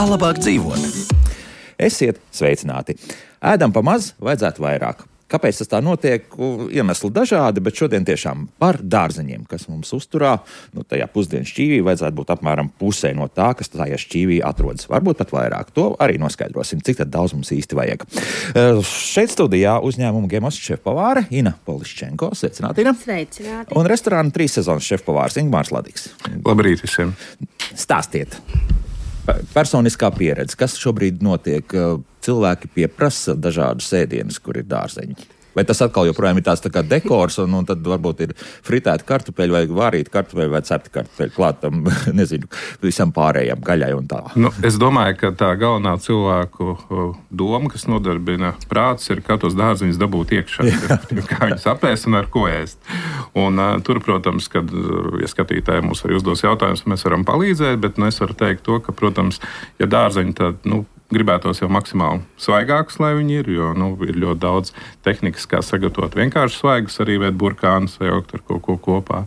Kā labāk dzīvot? Esiet sveicināti. Ēdam pa maz, vajadzētu vairāk. Kāpēc tas tā notiek? Iemesli dažādi, bet šodien tiešām par dārzeņiem, kas mums uzturā. Tajā pusdienas šķīvī vajadzētu būt apmēram pusē no tā, kas tajā šķīvī atrodas. Varbūt pat vairāk. To arī noskaidrosim, cik tad daudz mums īsti vajag. Šeit studijā uzņēmuma Gemos šefpavāre Ina Poliščenko. Sveicināti, Ina. Sveicināti. Un restorāna 3 sezonas šefpavārs Ingmārs Ladigs. Labrīt visiem. Stāstiet. Personiskā pieredze, kas šobrīd notiek? Cilvēki pieprasa dažādus ēdienus, kur ir dārzeņi. Vai tas atkal joprojām ir tāds tā kā dekors, un tad varbūt ir fritēta kartupeļu vai vārīta kartupeļu vai cepta kartupeļu klātam, nezinu, visam pārējām gaļai un tā. Es domāju, ka tā galvenā cilvēku doma, kas nodarbina prāts, ir kā tos dārzeņus dabūt iekšā, kā viņus apēst un ar ko ēst. Un tur, protams, kad, ja skatītāji mums arī uzdos jautājumus, mēs varam palīdzēt, bet es varu teikt to, ka, protams, ja dārzeņi tad, gribētos jau maksimāli svaigākus, lai viņi ir, jo ir ļoti daudz tehnikas, kā sagatavot vienkārši svaigus, arī veikt burkānus vai jaukt ar kaut ko kopā,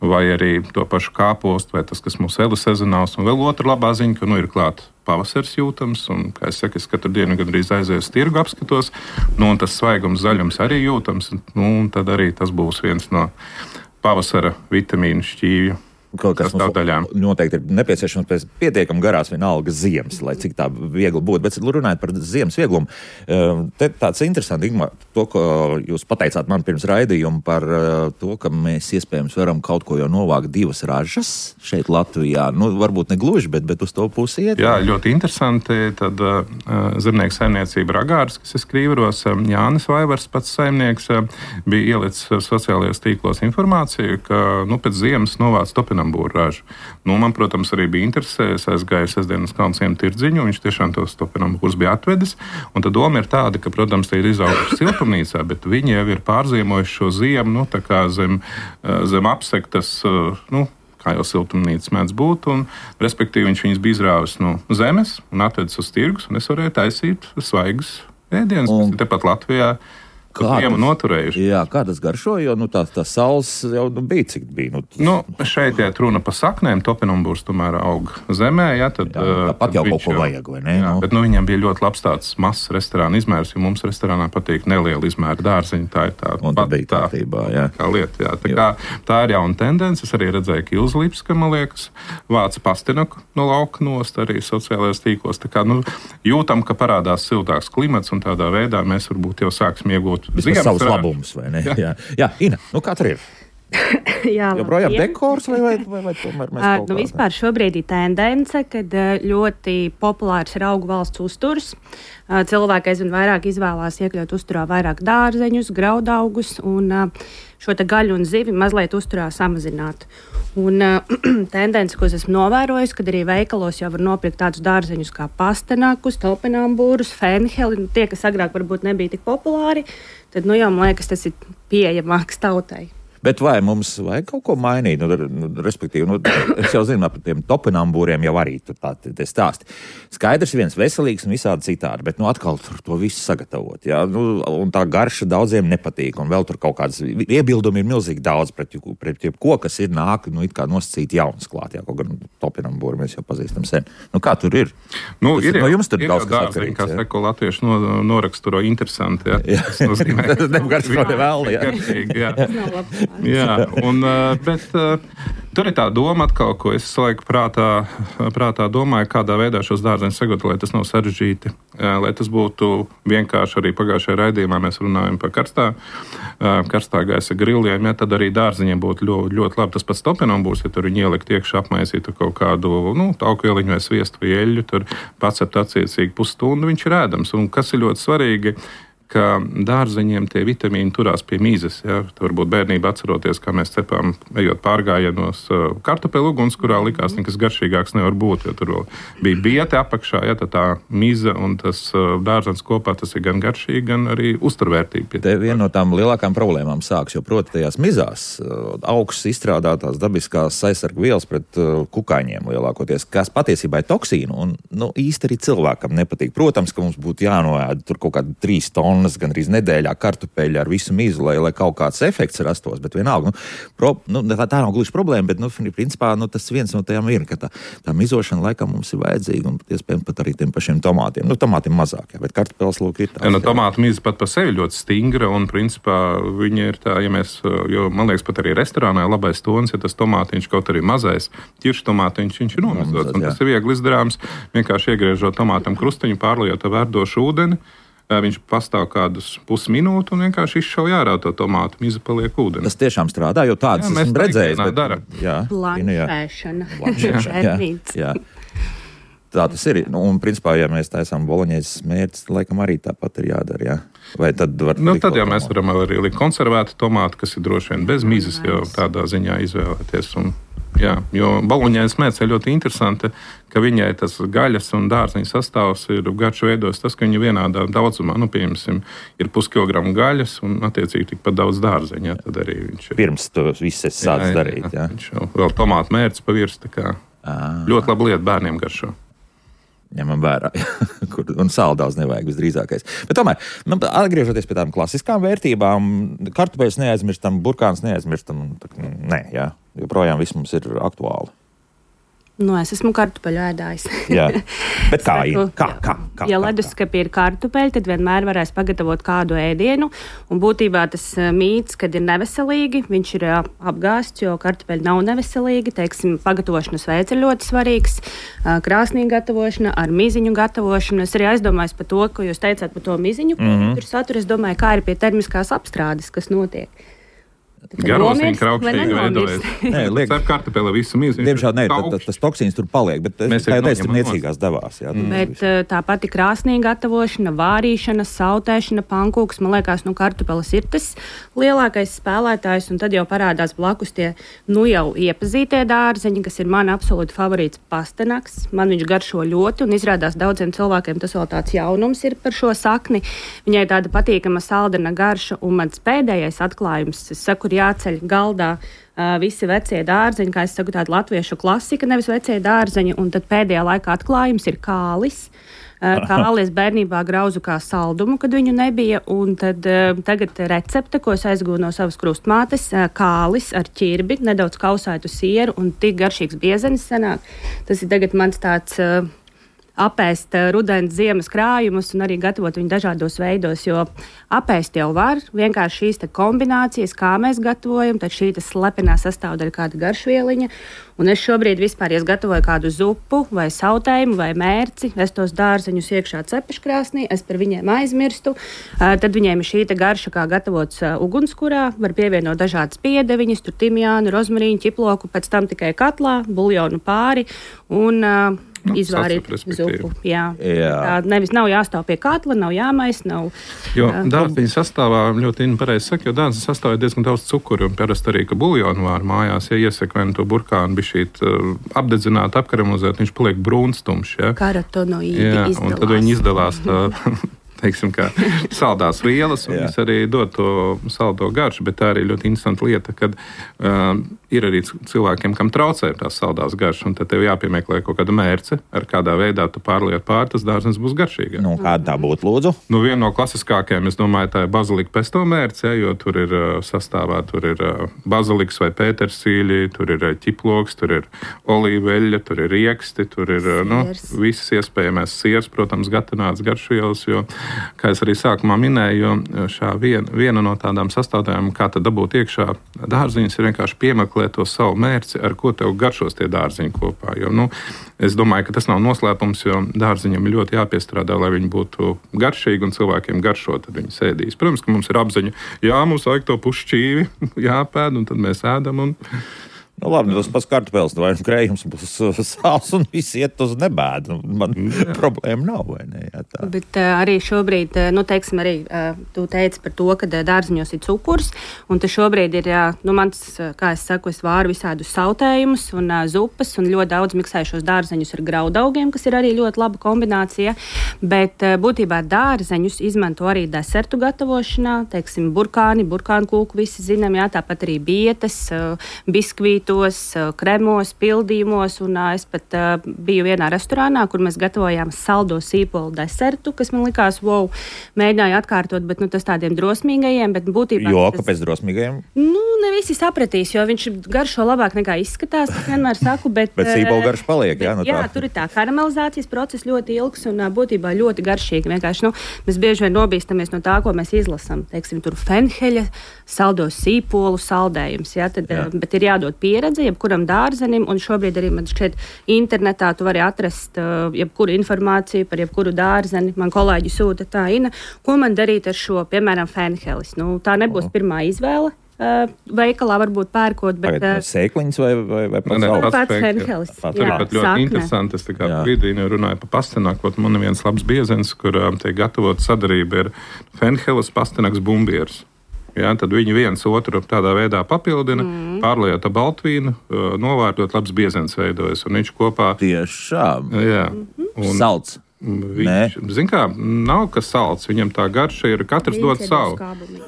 vai arī to pašu kāpostu, vai tas, kas mūsu elu sezonāls. Un vēl otra labā ziņa, ka ir klāt pavasaris jūtams, un, kā es saku, es katru dienu gandrīz aizēju tirgu apskatos, un tas svaigums, zaļums arī jūtams, un tad arī tas būs viens no pavasara vitamīnu šķīvju. Kaut kas mums noteikti ir nepieciešams pēc pietiekami garās vienalga ziemas, lai cik tā viegli būtu. Bet runājot par ziemas vieglumu, te tāds interesanti, Ingmār, to, ko jūs pateicāt man pirms raidījuma par to, ka mēs iespējams varam kaut ko jau novākt 2 ražas šeit Latvijā. Varbūt ne gluži, bet uz to pusi iet. Jā, ļoti interesanti. Tad zemnieku saimniecība Ragārs, kas ir Skrīveros, Jānis Vaivars, pats saimnieks, bija ielicis sociālajos tīklos informāciju, ka pēc ziemas novāc topinambūru ražu. Man, protams, arī bija interesē. Es aizgāju sestdienas Kalnciemu tirdziņu, viņš tiešām tos topinambūrus bija atvedis. Un tad doma ir tāda, ka, protams, tie ir izauguši siltumnīcā, bet viņi jau ir pārziemojuši šo ziemu, tā kā zem apsektas, kā jau siltumnīcas mēdz būt, un respektīvi viņš viņus bija izrāvis no zemes un atvedis uz tirgus, un es varēju taisīt svaigus ēdienus, kas ir tepat Latvijā. Kā tas garšo, jo tā saules jau bija, cik bija. Šeit iet runa pa saknēm, topinambūrs tomēr aug zemē. Tāpat jau kaut ko vajag, vai ne? Jā, bet viņam bija ļoti labs tāds mazs restorāna izmērs, jo mums restorānā patīk neliela izmēra dārzeņi. Tā ir tā lieta. Tā ir jauna tendence. Es arī redzēju, ka Ilza Lipska, man liekas, vāca pastinaku no lauka nost arī sociālajos tīklos. Tā kā jūtam, ka parādās siltāks klimats, un tādā veidā mēs varbūt jau sāksim iegūt vismaz savus labumus, vai ne? Jā. Ina, kā tur ir? Joprojām dekors vai tomēr mēs kaut kā? Vispār šobrīd ir tendence, kad ļoti populārs ir augu valsts uzturs. Cilvēki aizvien vairāk izvēlās iekļaut uzturā vairāk dārzeņus, graudaugus un šo te gaļu un zivi mazliet uzturā samazināt. Un tendence, ko es esmu novērojis, kad arī veikalos jau var nopirkt tādus dārzeņus kā pastenakus, topinambūrus, fenheli, tie, kas agrāk varbūt nebija tik populāri, tad jau man liekas, tas ir pieejamāks tautai. Bet vai mums vajag kaut ko mainīt? Respektīvi, es jau zinu, par tiem topinambūriem jau arī tur tā stāsti. Skaidrs viens veselīgs un visādi citādi, bet atkal tur to visu sagatavot. Jā? Un tā garša daudziem nepatīk, un vēl tur kaut kādas iebildumi ir milzīgi daudz pret jebko, kas ir nāk, it kā nosacīt jaunas klāt. Jā, kaut gan topinambūri mēs jau pazīstam sen. Kā tur ir? Jums tur daudz kas atkarīgs. Kā seko latviešu noraksturo interesanti, jā. Tas nozīmē. Tas negaršo ne vēl, jā. Jā, bet tur ir tā doma atkal, ko es laiku prātā domāju, kādā veidā šos dārzeņus sagatavot, lai tas nav sarežģīti, lai tas būtu vienkārši. Arī pagājušajā raidījumā mēs runājam par karstā gaisa griliem, tad arī dārzeņiem būtu ļoti labi. Tas pats topinambūrs, ja tur viņi ielikt iekšā, apmaisītu kaut kādu taukvieliņu vai sviestu vai eļļu, tur pacept attiecīgi pusstundu, viņš ir ēdams. Un kas ir ļoti svarīgi, ka dārzeņiem tie vitamīni turās pie mīzes. Ja? Varbūt bērnībā atceroties, kā mēs cepām, ejot pārgājienos kartupeļu uguns, kurā likās nekas garšīgāks nevar būt, jo tur bija biete apakšā, ja? Tā mize un tas dārzens kopā, tas ir gan garšīgi, gan arī uzturvērtīgi. Te viena no tām lielākām problēmām sāks, jo proti tajās mizās augsts izstrādātās dabiskās aizsargu vielas pret kukaiņiem lielākoties, kas patiesībā ir toksīnu un īsti arī cilvēkam nepatīk. Protams, ka mums būtu jānoēd tur kaut kādi 3 tonu pilnas, gandrīz nedēļā kartupeļi ar visu mizu, lai kaut kāds efekts rastos, bet vienalga, tā nav gluži problēma, bet, principā, tas viens no tajām ir, ka tā mizošana laikam mums ir vajadzīga, un iespējams pat arī tiem pašiem tomātiem. Tomātiem mazāk, jā, bet kartupeļs lūk ir tās. Tomātu miza pat par sevi ļoti stingra, un principā viņa ir tā, jo man liekas pat arī restorānā labais tonis, ja tas tomātiņš kaut arī mazais, ķiršu tomātiņš, viņš ir nomizots, un tas ir viegli izdarāms, vienkārši iegriežot tomātam krustiņu, pārliejot ar verdošu ūdeni, viņš pastāv kādus pusminūtu un vienkārši izšauj ārā to tomātu, miza paliek ūdeni. Tas tiešām strādā, jo tādas esmu redzējis. Blanšēšana. Jā. Tā tas ir. Un principā, ja mēs taisām boloņēzes mērķis, laikam arī tāpat ir jādara, jā. Vai tad var tad jau mēs varam arī likt konservētu tomātu, kas ir droši vien bez mizas, jau tādā ziņā izvēlēties. Jā, jo boloņēzes mērķis ir ļoti interesanti, ka viņai tas gaļas un dārziņa sastāvs ir garšu veidos tas, ka viņa vienādā daudzumā, piemēram, ir puskilogramu gaļas un attiecīgi tikpat daudz dārziņa. Tad arī viņš ir. Pirms to viss es sāc darīt, jā. Viņš jau vēl tomātu mērķis pavirs, tā kā ļoti laba lieta bērniem garšo. Ņemam vērā, un sāli daudz nevajag visdrīzākais. Bet tomēr, atgriežoties pie tām klasiskām vērtībām, kartupeļus neaizmirstam, burkānus neaizmirstam, nē, jā, joprojām viss mums ir aktuāli. Es esmu kartupeļu ēdājis. Jā, bet kā ir? Kā? Ja leduskapī ir kartupeļi, tad vienmēr varēs pagatavot kādu ēdienu, un būtībā tas mīts, kad ir neveselīgi, viņš ir apgāsts, jo kartupeļi nav neveselīgi, pagatavošanas veids ir ļoti svarīgs, krāsnī gatavošana, ar miziņu gatavošanu. Es arī aizdomājos par to, ko jūs teicāt par to miziņu, tur satura, es domāju, kā ir pie termiskās apstrādes, kas notiek. Garosiņa kraukšķīgi veidojas. Cep kartupeli visu mizu. Diemžēl tas toksīns tur paliek, bet tā ir niecīgās devās. Jā, bet tā pati krāsnī gatavošana, vārīšana, sautēšana, pankūks, man liekas, kartupelis ir tas lielākais spēlētājs, un tad jau parādās blakus tie jau iepazītie dārzeņi, kas ir man absolūti favorīts pastenaks. Man viņš garšo ļoti, un izrādās daudziem cilvēkiem tas vēl tāds jaunums ir par šo sakni. Viņai tāda patīkama saldena garša, un mans pēdējais atklājums, es saku, jāceļ galdā visi vecie dārzeņi, kā es saku, tāda latviešu klasika, nevis vecie dārzeņi, un tad pēdējā laikā atklājums ir kālis. Kālis bērnībā grauzu kā saldumu, kad viņu nebija, un tad tagad recepte, ko es aizgūnu no savas krustmātes, kālis ar ķirbi, nedaudz kausētu sieru un tik garšīgs biezenis sanāk. Tas ir tagad mans tāds apēst rudens ziemas krājumus un arī gatavot viņu dažādos veidos, jo apēst jau var, vienkārši šīs kombinācijas, kā mēs gatavojam, tad šī slepenā sastāvdaļa kāda garšvieliņa, un es šobrīd vispār, ja es gatavoju kādu zupu vai sautējumu vai mērci, es tos dārzeņus iekšā cepeškrāsnī, es par viņiem aizmirstu, tad viņiem ir šī garša, kā gatavots ugunskurā, var pievienot dažādas piedeviņas, tur timjānu, rozmarīnu, ķiploku, pēc tam tikai katlā, buljonu pāri un izvārīt zupu. Jā. Tā nevis nav jāstāv pie katla, nav jāmais, nav. Jo dārziņa sastāvā ļoti pareizi saka, jo dārziņa sastāvā ir diezgan daudz cukuru, un parasti arī, ka buljonu vār mājās, ja iesaka vai to burkānu bišķīt apdedzināt, apkaramuzēt, viņš paliek brūnstumšs. Ja? Karotenoīdi izdalās. Un tad viņi izdalās teiksim, kā saldās vielas, un viņas arī dod to saldo garšu, bet tā arī ļoti interesanta lieta, kad ir arī cilvēkiem, kam traucē tās saldās garšas, un tad tev jāpiemeklē kaut kāda mērce, ar kādā veidā tu pārliet pār, tas dārzenis būs garšīgāk. Kāda tā būtu, lūdzu? Viena no klasiskākajām, es domāju, tā ir bazilika pesto mērce, jo tur ir sastāvā, tur ir baziliks vai pētersīļi, tur ir ķiploks, tur ir olīveļļa, tur ir rieksti, tur ir visas iespējamās siers, protams, gatavināts garšvielas, jo kā es arī sākumā minēju, jo viena no tādām sastāvdaļām, kā tad dabūt iekšā dārziņus, ir vienkārši piemeklēt to savu mērci, ar ko tev garšos tie dārziņi kopā. Jo, es domāju, ka tas nav noslēpums, jo dārziņam ir ļoti jāpiestrādā, lai viņi būtu garšīgi un cilvēkiem garšo, tad viņi sēdīs. Protams, ka mums ir apziņa, mums vajag to pušķīvi, jāpēd, un tad mēs ēdam un labi, tas pats kartupeļs, vai krējums būs sāls un viss iet uz nebēdu. Man problēma nav, vai ne? Jā, tā. Bet arī šobrīd, teiksim, arī tu teici par to, ka dārziņos ir cukurs, un te šobrīd ir, mans, kā es saku, es vāru visādus sautējumus un zupas, un ļoti daudz miksēju šos dārzeņus ar graudaugiem, kas ir arī ļoti laba kombinācija, bet būtībā dārzeņus izmanto arī desertu gatavošanā, teiksim, burkānu kūku visi zinām, tāpat arī bietes, biskvīti, citos kremos, pildījumos, un es pat biju vienā restorānā, kur mēs gatavojām saldo sīpolu desertu, kas man likās, wow, mēģināju atkārtot, bet tas tādiem drosmīgajiem, bet būtībā... Jo, kāpēc drosmīgajiem? Ne visi sapratīs, jo viņš garšo labāk nekā izskatās, es vienmēr saku, bet... Bet sīpola garš paliek, jā? Jā, tur ir tā karamelizācijas process ļoti ilgs un būtībā ļoti garšīgi. Vienkārši, mēs bieži vien nobīstamies no tā, ko mēs izlasam. Teiksim, tur fenheļa, saldo sīpolu saldējums, jā, tad, bet ir jādod pieredze jebkuram dārzenim, un šobrīd arī man šķiet internetā tu vari atrast jebkuru informāciju par jebkuru dārzeni. Man kolēģi sūta tā, Ina, ko man darīt ar šo, piemēram, fenhelis. Tā nebūs pirmā izvēle. Veikalā varbūt pērkot, bet... Sēkliņas vai pats fenhelis. Tur ir pat ļoti interesanti. Es tā kā brīdī runāju par pastenaku. Man ir viens labs biezens, kur tiek gatavot sadarība ir fenhelis, pastenaks, bumbieris. Ja, tad viņi viens otru tādā veidā papildina, pārliet ar baltvīnu, novārtot, labs biezens veidojas. Un viņš kopā... Tiešām. Jā. Salds. Viņš, zin kā, nav kas salds, viņam tā garša ir, katrs dod savu.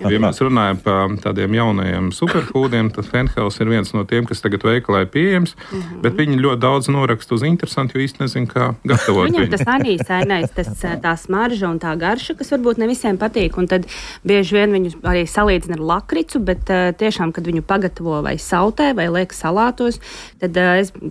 Ja mēs runājam par tādiem jaunajiem superfūdiem, tad fenhelis ir viens no tiem, kas tagad veikalā ir pieejams, bet viņi ļoti daudz noraksta uz interesanti, jo īsti nezin, kā gatavot. Viņam tas anīsainais, tā smarža un tā garša, kas varbūt ne visiem patīk, un tad bieži vien viņu arī salīdzina ar lakricu, bet tiešām, kad viņu pagatavo vai sautē, vai liek salātos, tad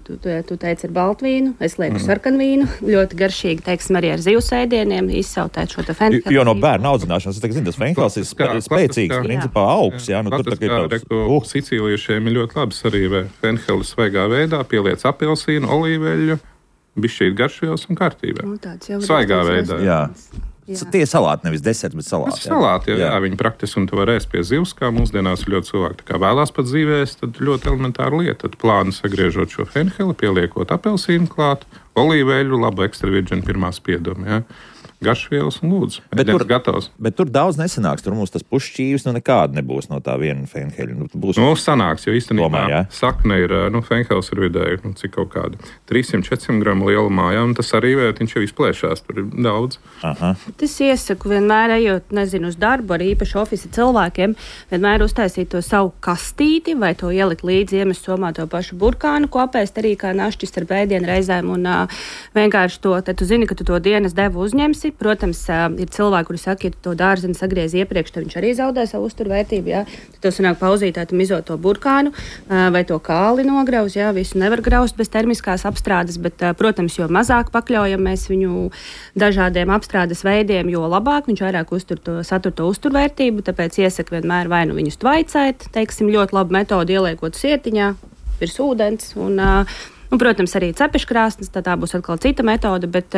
tu teici ar baltvīnu, es lieku sarkanvīnu, ļoti garšīgi, teiksim, arī ar zivs ēdieniem izsautēt šo te fenheli. Jo no bērna audzināšanas, es zinu, tas fenhelis ir spēcīgs, principā augsts. Jā, tur tā kā sicīliešiem ir ļoti labi sarīvē fenheli svaigā veidā, pieliec apelsīnu, olīveļu, bišķīt garšajos un kārtībā. Svaigā veidā. Jā. Tie salāti, nevis deserts, bet salāti. Salāti, jā, viņi praktiski, un tu var ēst pie zivs, kā mūsdienās ļoti cilvēki. Tā kā vēlās pat zīvēs, tad ļoti elementāra lieta. Tad plāni sagriežot šo fenheli, pieliekot apelsīnu klāt, olīveļu, labu ekstra virģinu pirmā spieduma, jā. Garšvielas un lūdzu. Bet tur daudz nesanāks. Tur mums tas pušķīvis nekāda nebūs no tā viena fenheļa. Sanāks, jo īstenībā sakne ir, fenhelis ir vidēji, cik kaut kāda 300-400 gramu lielumā, jā, un tas arī viņš jau izplēšās, tur ir daudz. Aha. Es iesaku vienmēr, ejot, uz darbu, arī īpaši ofisa cilvēkiem, vienmēr uztaisīt to savu kastīti vai to ielikt līdzi iemest somā to pašu burkānu, ko apēst arī kā našķis ar bēdienu reizēm, un vienkārši to, tad tu zini, ka tu to dienas devu uzņemsi. Protams, ir cilvēki, kuri saka, ja tu to dārzeni sagriezi iepriekš, tad viņš arī zaudē savu uzturvērtību, jā. Tad tev sanāk pauzītāt un izot to burkānu vai to kāli nograuz, jā, visu nevar graust bez termiskās apstrādes, bet, protams, jo mazāk pakļaujam mēs viņu dažādiem apstrādes veidiem, jo labāk viņš vairāk satur to uzturvērtību, tāpēc iesaku vienmēr vai nu viņus tvaicēt, teiksim, ļoti labu metodu ieliekot sietiņā, virs ūdens un, protams, arī cepeškrāsnes, tā būs atkal cita metode, bet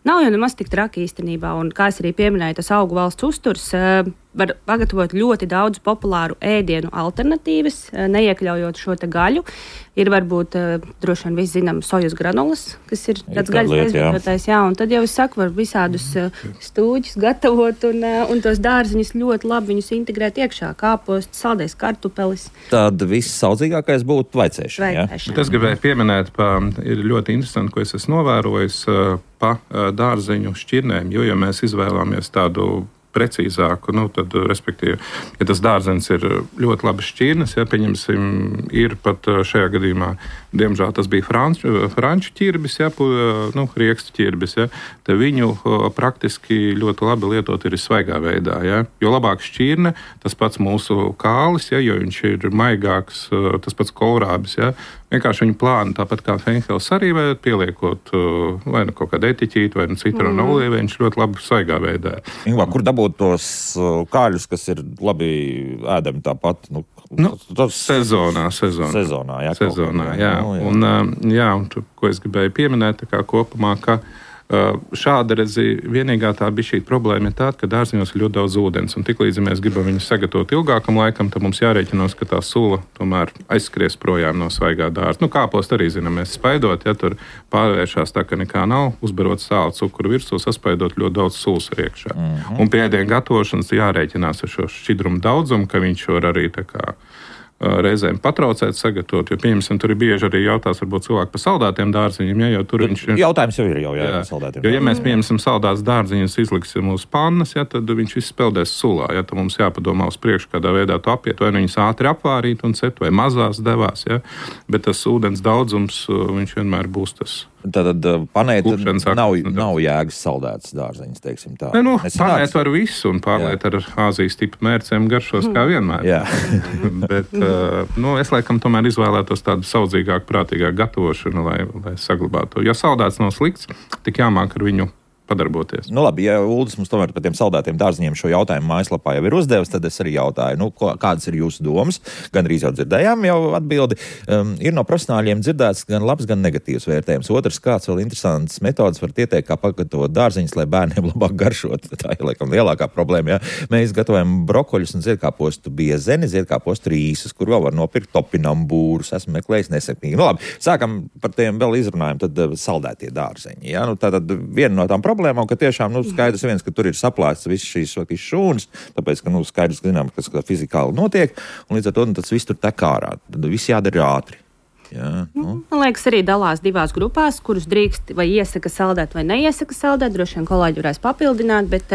nav jau nemaz tik traki īstenībā. Un, kā es arī pieminēju, tas augu valsts uzturs var pagatavot ļoti daudz populāru ēdienu alternatīvas, neiekļaujot šo te gaļu. Ir varbūt droši vien visi zinām sojas granulas, kas ir tāds gaļas aizvietotais, jā, un tad jau es saku, var visādus stūģus gatavot un tos dārziņus ļoti labi viņus integrēt iekšā, kāpost, saldais kartupelis. Tad viss saudzīgākais būtu tvaicēšana, jā? Es gribēju pieminēt, ir ļoti interesanti, ko es esmu novērojis pa dārzeņu šķirnēm, jo, ja mēs izvēlamies tādu precīzāku, tad, respektīvi, ja tas dārzens ir ļoti labi šķirnes, ja, pieņemsim, ir pat šajā gadījumā, diemžēl tas bija franču ķirbis, ja, riekstu ķirbis, ja, te viņu praktiski ļoti labi lietot ir svaigā veidā, ja, jo labāk šķirne, tas pats mūsu kālis, ja, jo viņš ir maigāks, tas pats kovrābis, ja, vienkārši viņu plāni, tāpat kā fenhelis arī vajag pieliekot vai nu kaut kādu etiķīti, vai nu citronu olīvu, viņš ļoti labi svaigā veidā. Ingvā, kur dabūt tos kāļus, kas ir labi ēdami tāpat? Sezonā, jā. Sezonā, jā. Un, ko es gribēju pieminēt, tā kā kopumā, ka šāda redzi, vienīgā tā bija šī problēma ir tāda, ka dārziņos ir ļoti daudz ūdens, un tiklīdz mēs gribam viņus sagatavot ilgākam laikam, tad mums jārēķinās, ka tā sula tomēr aizskries projām no svaigā dārza. Kāpost arī, zinām, mēs spaidot, ja tur pārvēršās tā, ka nekā nav, uzbarot sāli cukuru virsū, saspaidot ļoti daudz sulas iekšā. Un pie ēdienu gatavošanas jārēķinās ar šo šķidrumu daudzumu, ka viņš var arī tā kā reizēm patraucēt, sagatavot, jo, pieņemsim, tur ir bieži arī jautās, varbūt cilvēki par saldētiem dārziņiem, ja, jo tur viņš ir. Jautājums jau ir saldētiem. Jo, ja mēs pieņemsim saldētas dārziņus, izliksim uz pannas, ja, tad viņš viss peldēs sulā, ja, tad mums jāpadomā uz priekšu, kādā veidā to apiet, vai viņus ātri apvārīt un cet, vai mazās devās, ja, bet tas ūdens daudzums, viņš vienmēr būs tas. Tātad panēt nav jēgas saldētas dārzeņas, teiksim tā. Ne, panēt var visu un pārliet ar Āzijas tipu mērcēm garšos kā vienmēr. Bet es laikam tomēr izvēlētos tādu saudzīgāku, prātīgāku gatavošanu, lai saglabātu. Ja saldēts nav slikts, tik jāmāk ar viņu padarboties. Nu labi, ja Uldis mums tomēr par tiem saldētiem dārziņiem šo jautājumu mājaslapā jau ir uzdevis, tad es arī jautāju, kādas ir jūsu domas? Gan arī jau dzirdējām jau atbildi. Ir no profesionāļiem dzirdēts gan labs, gan negatīvs vērtējums. Otrs, kāds vēl interesants metodas var ieteikt, kā pagatavot dārziņus, lai bērniem labāk garšot. Tā ir, laikam, lielākā problēma. Ja? Mēs gatavojam brokoļus un ziedkāpostu biezeni, ziedkāpostu rīsus, kur vēl var nopirkt topinambūrus. Esmu meklējis nesapnīgi. Nu labi, sākam par tiem vēl izrunājam, tad saldētie dārziņi. Ja? Tātad viena no tām problēmām, ka tiešām skaidrs viens, ka tur ir saplāsts visas šīs šūnas, tāpēc, ka skaidrs, ka zinām, kas fizikāli notiek, un līdz ar to tas viss tur tek ārā. Tad viss jādara ātri. Jā, Man liekas, arī dalās divās grupās, kurus drīkst vai iesaka saldēt vai neiesaka saldēt. Droši vien kolēģi varēs papildināt, bet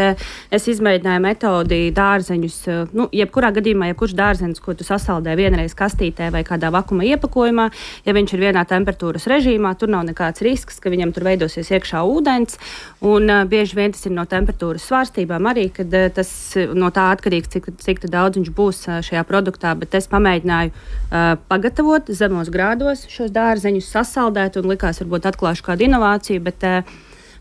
es izmēģināju metodi dārzeņus. Jebkurā gadījumā, jebkurš dārzenis, ko tu sasaldē vienreiz kastītē vai kādā vakuma iepakojumā, ja viņš ir vienā temperatūras režīmā, tur nav nekāds risks, ka viņam tur veidosies iekšā ūdens. Un bieži vien tas ir no temperatūras svārstībām arī, kad tas no tā atkarīgs, cik daudz viņš būs šajā produktā. Bet es pamēģināju pagatavot zemos grādos šos dārzeņus sasaldēt un likās, varbūt atklāšu kādu inovāciju, bet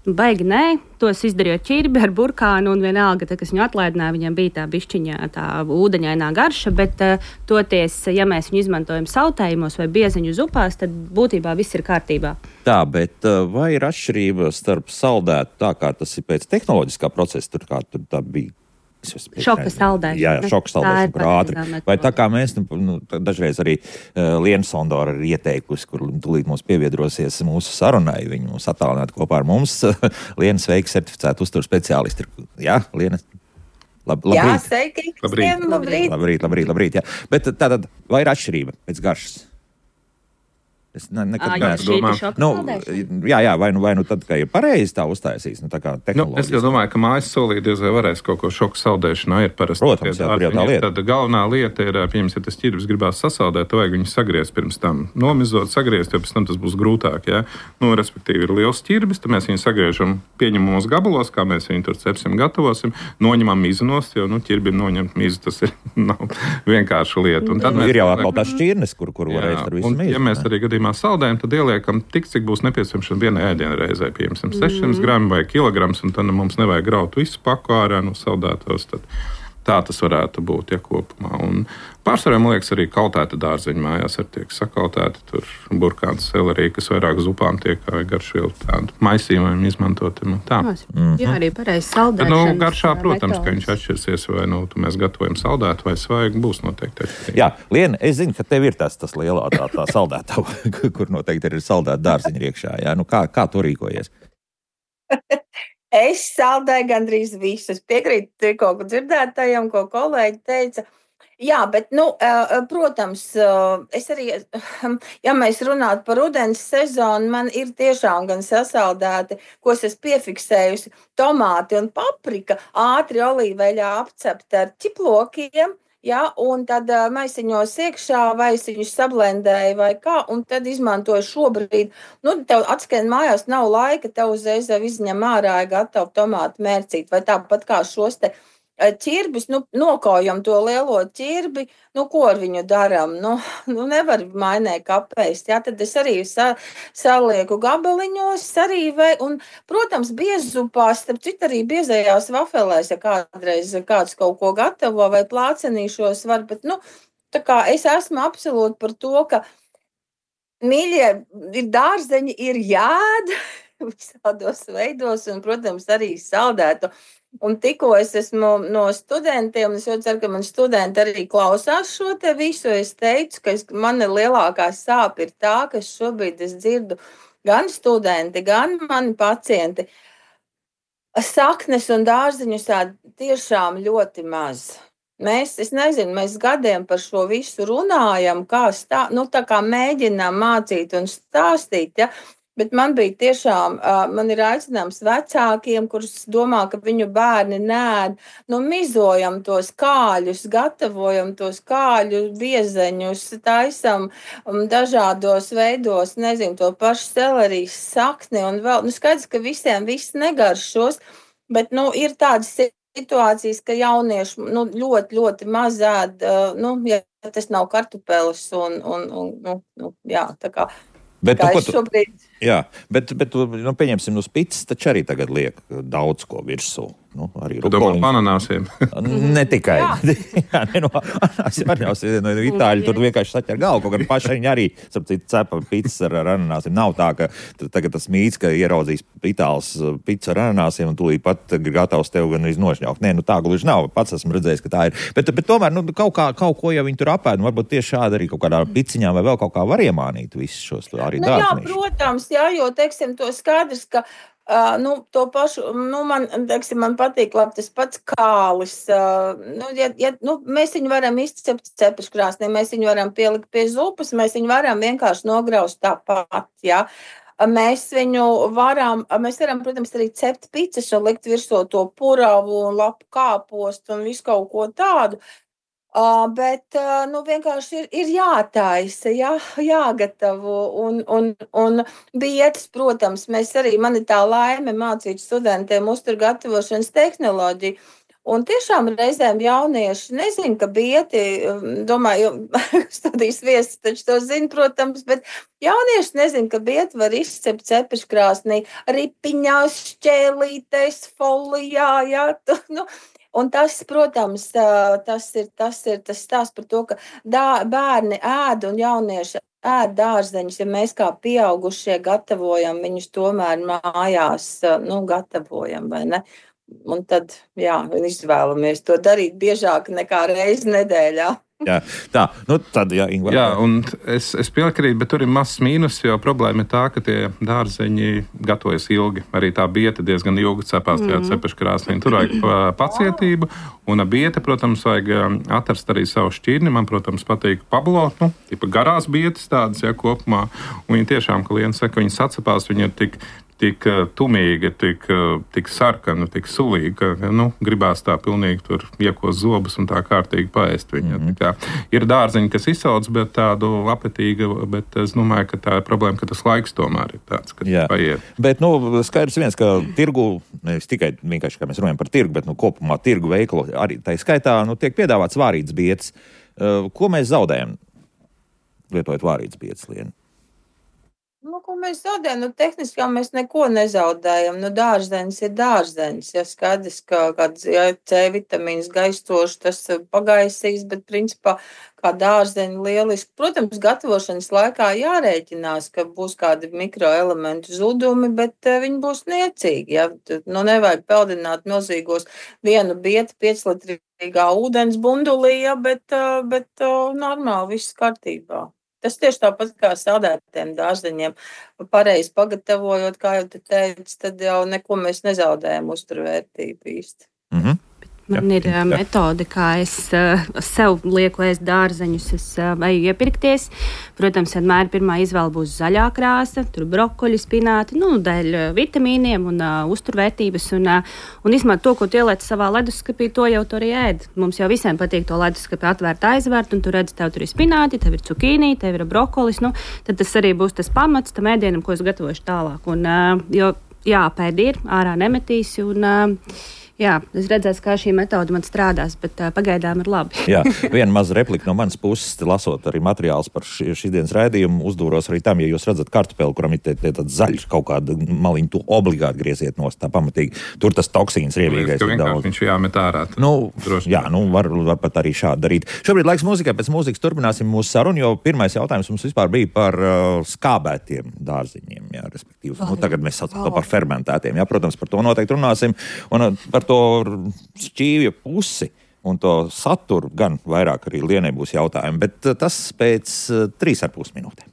baigi nē. Tos izdarīju ķirbi ar burkānu un vienalga, kas viņu atlaidināja, viņam bija tā bišķiņā, tā ūdeņainā garša, bet toties, ja mēs viņu izmantojam sautējumos vai bieziņu upās, tad būtībā viss ir kārtībā. Tā, bet vai ir atšķirība starp saldētu tā, kā tas ir pēc tehnoloģiskā procesa, tur kā tur tā bija? Šoka saldēšana. Jā, šoka saldēšana, kur ātri. Vai tā kā mēs, dažreiz arī Liena Sondora ir ieteikusi, kur tūlīt mums pieviedrosies mūsu sarunai, viņu mūs attālināt kopā ar mums. Liena, sveiki, certificēta uzturu speciālisti. Jā, Liena? Labrīt. Jā, sveiki. Labrīt. Jā. Bet tātad, vai ir atšķirība pēc garšas? Es nekad nedomāju. Jā, vai nu tad, ka ir pareizi tā uztaisīs, tā kā tehnoloģija. Es jau domāju, ka mājas solī diez vai varēs kaut ko šoku saldēšanā ir parasti. Protams, jā, lieta. Tad galvenā lieta ir, pieņems, ja tas ķirbis gribās sasaldēt, vajag viņu sagriezt pirms tam. Nomizot, sagriezt, jo pēc tam tas būs grūtāk, jā. Respektīvi ir liels ķirbis, tad mēs viņu sagriežam pieņemamos gabalos, kā mēs viņu tur cepsim, gatavosim, noņemam mizu nost, jo, ķirbim noņemt mizu, tas ir vienkārša lieta. Un tad ir jau atkal tās šķirnes, kur varēs ar visu mizu. Ja mēs arī saldējam, tad ieliekam tik, cik būs nepieciešams vienai ēdienreizē, piemēram, 600 grami vai kilograms, un tad mums nevajag graut visu paku ārā no saldētos. Tā tas varētu būt, kopumā. Un pārsvarā, man liekas, arī kaltēta dārzeņa mājās ar tiek sakautēta, tur burkāns selerija, kas vairāk uz upām tiek vai garšvielu tādu maisījumiem izmantot. Jā, arī pareizi saldēšanas. Garšā, protams, ka viņš atšķirsies, vai mēs gatavojam saldētu vai svaigu, būs noteikti atšķirīgi. Jā, Liena, es zinu, ka tev ir tas lielā tā saldētā, kur noteikti ir saldēta dārzeņa iekšā. Jā, kā tu rīkojies? Es saldēju gandrīz visu. Es piekrītu tikko dzirdētājiem, ko kolēģi teica. Jā, bet, protams, es arī, ja mēs runātu par rudens sezonu, man ir tiešām gan sasaldēti, ko es piefiksējusi, tomāti un paprika, ātri olīveļā apcepti ar ķiplokiem. Ja, un tad maisiņos iekšā, vai es viņus sablendēju vai kā, un tad izmantoju šobrīd. Tev atskrien mājās nav laika, tev uzreiz izņem ārā gatavu tomātu mērcīt, vai tāpat kā šos te ķirbis, nokaujam to lielo ķirbi, ko ar viņu daram? Nevar mainē kapēst, tad es arī salieku gabaliņos arī, un, protams, biezupās, starp citu arī biezajās vafelēs, ja kādreiz kāds kaut ko gatavo vai plācenīšos var, bet, tā kā es esmu absolūti par to, ka mīļie ir dārzeņi, ir jāēd visādos veidos, un, protams, arī saldētu. Un tikko es esmu no studentiem, es jau ceru, ka man studenti arī klausās šo te visu. Es teicu, ka man lielākā sāpe ir tā, ka šobrīd es dzirdu gan studenti, gan mani pacienti. Saknes un dārziņus tiešām ļoti maz. es nezinu, mēs gadiem par šo visu runājam, tā kā mēģinām mācīt un stāstīt, ja? Bet man bija tiešām, man ir aicinājums vecākiem, kurus domā, ka viņu bērni nēd, mizojam tos kāļus, gatavojam tos kāļu viezeņus, taisam dažādos veidos, nezinu, to pašu selerijas sakni un vēl, skaidrs, ka visiem viss negaršos, bet, ir tādas situācijas, ka jaunieši, ļoti, ļoti maz ēd, ja tas nav kartupeles jā, tā kā. Bet, pieņemsim, uz pitsas taču arī tagad liek daudz ko virsū. Arī rukoliņus. Ananāsiem. Ne tikai. Itāļi tur vienkārši saķer galvu, kaut gan paši viņi arī, cepa pitsas ar ananāsiem. Nav tā, ka tagad tas mīts, ka ieraudzīs itāls pizza ar ananāsiem un tūlīt pat gatavs tev gan iznošņaukt. Nē, tā gluži nav. Pats esmu redzējis, ka tā ir. Bet tomēr, kaut ko jau viņi tur apēd. Varbūt tieši šādi arī kaut kādā piciņā vai vēl kaut kā var iemānīt visus šos arī dārziņus. Jā, protams, jo, teiksim, to skaidrs, ka to pašu, man patīk labi tas pats kālis. Mēs viņu varam izcept cepeškrāsnī, mēs viņu varam pielikt pie zupas, mēs viņu varam vienkārši nograust tāpat, jā. Mēs varam, protams, arī cept picas un likt virsū to puravu un lapu kāpostu un visu kaut ko tādu. Bet vienkārši ir jātaisa, jāgatavo un bietas, protams, man ir tā laime mācīt studentiem uzturgatavošanas tehnoloģiju. Un tiešām reizēm jaunieši nezin, ka bieti, domāju, studijas viesis taču to zina, protams, bet jaunieši nezin, ka bieti var izcept cepeškrāsnī ripiņās, šķēlītēs, folijā, Un tas, protams, tas ir tas stāsts par to, ka bērni ēd un jaunieši ēd dārzeņus, ja mēs kā pieaugušie gatavojam viņus tomēr mājās, gatavojam, vai ne? Un tad, izvēlamies to darīt biežāk nekā reizi nedēļā. Jā, Ingvar. Jā, un es piekrītu, bet tur ir mazs mīnus, jo problēma ir tā, ka tie dārzeņi gatavojas ilgi. Arī tā bieta diezgan ilgi cepās tajā cepeškrāsnī. Tur vajag pacietību, un bieta, protams, vajag atrast arī savu šķirni. Man, protams, patīk Pablo, garās bietas tādas, kopumā. Un viņi tiešām, ka Liena saka, viņi sacepās, viņi ir tik tumīga, tik sarkana, tik sulīga, ka gribās tā pilnīgi tur iekos zobus un tā kārtīgi paēst viņu. Ir dārzeņi, kas izsauc, bet tādu apetīga, bet es domāju, ka tā ir problēma, ka tas laiks tomēr ir tāds, ka paiet. Bet, skaidrs viens, ka tirgu, nevis tikai vienkārši, kā mēs runājam par tirgu, bet, kopumā tirgu veikalu arī tā skaitā, tiek piedāvāts vārītas bietas. Ko mēs zaudējam, lietojot vārītas bietas, Liena? Ko mēs zaudējam? Tehniski mēs neko nezaudējam. Dārzenis ir dārzenis. Skaidrs, ka C vitamīns gaistoši tas pagaisīs, bet principā kā dārzeņi lieliski. Protams, gatavošanas laikā jārēķinās, ka būs kādi mikroelementu zudumi, bet viņi būs niecīgi. Nevajag peldināt milzīgos vienu bietu 5-litrīgā ūdens bundulī, bet normāli viss kārtībā. Tas tieši tāpat kā saldētiem dārzeņiem. Pareizi pagatavojot, kā jau te teicu, tad jau neko mēs nezaudējam uzturvērtību īsti. Man ir metode, kā es sev lieku ēst dārzeņus. Es eju iepirkties. Protams, vienmēr pirmā izvēle būs zaļā krāsa, tur brokoļi, spināti, dēļ vitamīniem un uzturvērtības. Un izmantot to, ko tu ieliec savā leduskapī, to jau tu arī ēd. Mums jau visiem patīk to leduskapi atvērt, aizvērt, un tu redzi, tev tur ir spināti, tev ir cukīnī, tev ir brokolis. Tad tas arī būs tas pamats tam ēdienam, ko es gatavošu tālāk. Jo pēdi ir, ārā nemetīs. Es redzēšu, kā šī metode man strādās, bet pagaidām ir labi. Viena maza replika no manas puses, lasot arī materiālus par šīs dienas raidījumu, uzdūros arī tam, ja jūs redzat kartupeli, kuram ir tāds zaļš kaut kāda maliņa, to obligāti grieziet nost, tā pamatīgi. Tur tas toksīns riebīgais ir daudz. Viņš jāmet ārā. Var pat arī šādi darīt. Šobrīd laiks mūzikai, pēc mūzikas turpināsim mūsu sarunu, jo pirmais jautājums mums vispār bija par skābētiem dārziņiem, respektīvi. Tagad mēs saucam to par fermentētiem. Protams, par to noteikti runāsim. Un par to šķīvju pusi un to saturu gan vairāk arī Lienai būs jautājumi, bet tas pēc 3,5 minūtēm.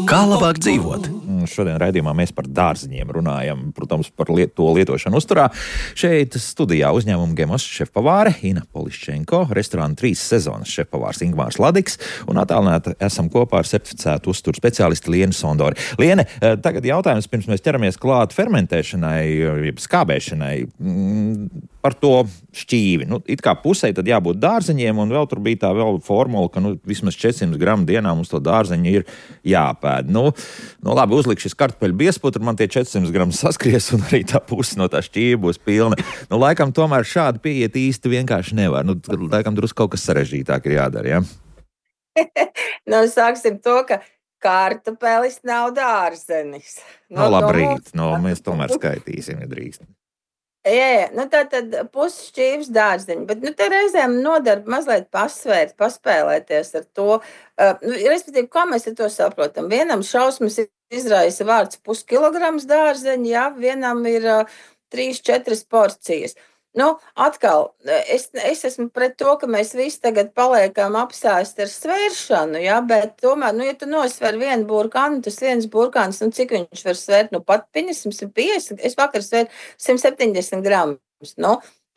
Kā labāk dzīvot? Šodien raidījumā mēs par dārziņiem runājam, protams, par to lietošanu uzturā. Šeit studijā uzņēmuma Gemos šefpavāre Ina Poliščenko, restorāna 3 sezonas šefpavārs Ingmārs Ladiks un attālināti esam kopā ar certificētu uzturu speciālisti Lienu Sondori. Liene, tagad jautājums, pirms mēs ķeramies klāt fermentēšanai, skābēšanai, par to šķīvi. It kā pusē tad jābūt dārziņiem, un vēl tur bija tā vēl formula, ka vismaz 400 gramu dienā mums to dārziņu ir jāpēd. Labi, uzlik šis kartupeļu biezputru, man tie 400 gramu saskries, un arī tā puse no tā šķīva būs pilna. Laikam tomēr šādi pieiet īsti vienkārši nevar. Laikam drusku kaut kas sarežģītāk ir jādara, ja? Sāksim to, ka kartupelis nav dārzenis. Labrīt, mēs tomēr skaitīsim, ja drīkst. Jā, tā tad pusšķīvs dārziņi, bet te reizēm nodara mazliet pasvērt, paspēlēties ar to. Respektīvi, kā mēs ar to saprotam? Vienam šausmas izraisa vārds puskilograms dārzeņi, jā, vienam ir 3-4 porcijas. Atkal, es esmu pret to, ka mēs visi tagad paliekam apsēsti ar svēršanu, jā, bet tomēr, ja tu nosver vienu burkānu, tas viens burkāns, cik viņš var svērt, pat 150, es vakar svēru 170 gramus,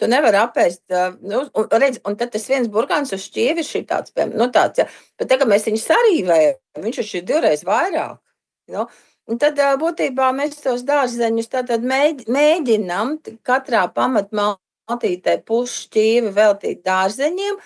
tu nevar apēst, un tad tas viens burkāns uz šķīvi ir šī tāds, jā, bet tagad mēs viņu sarīvējam, viņš ir 2 reizes vairāk, Un tad būtībā mēs tos dārzeņus tātad mēģinām katrā pamatmaltītē pusšķīvi veltīt dārzeņiem.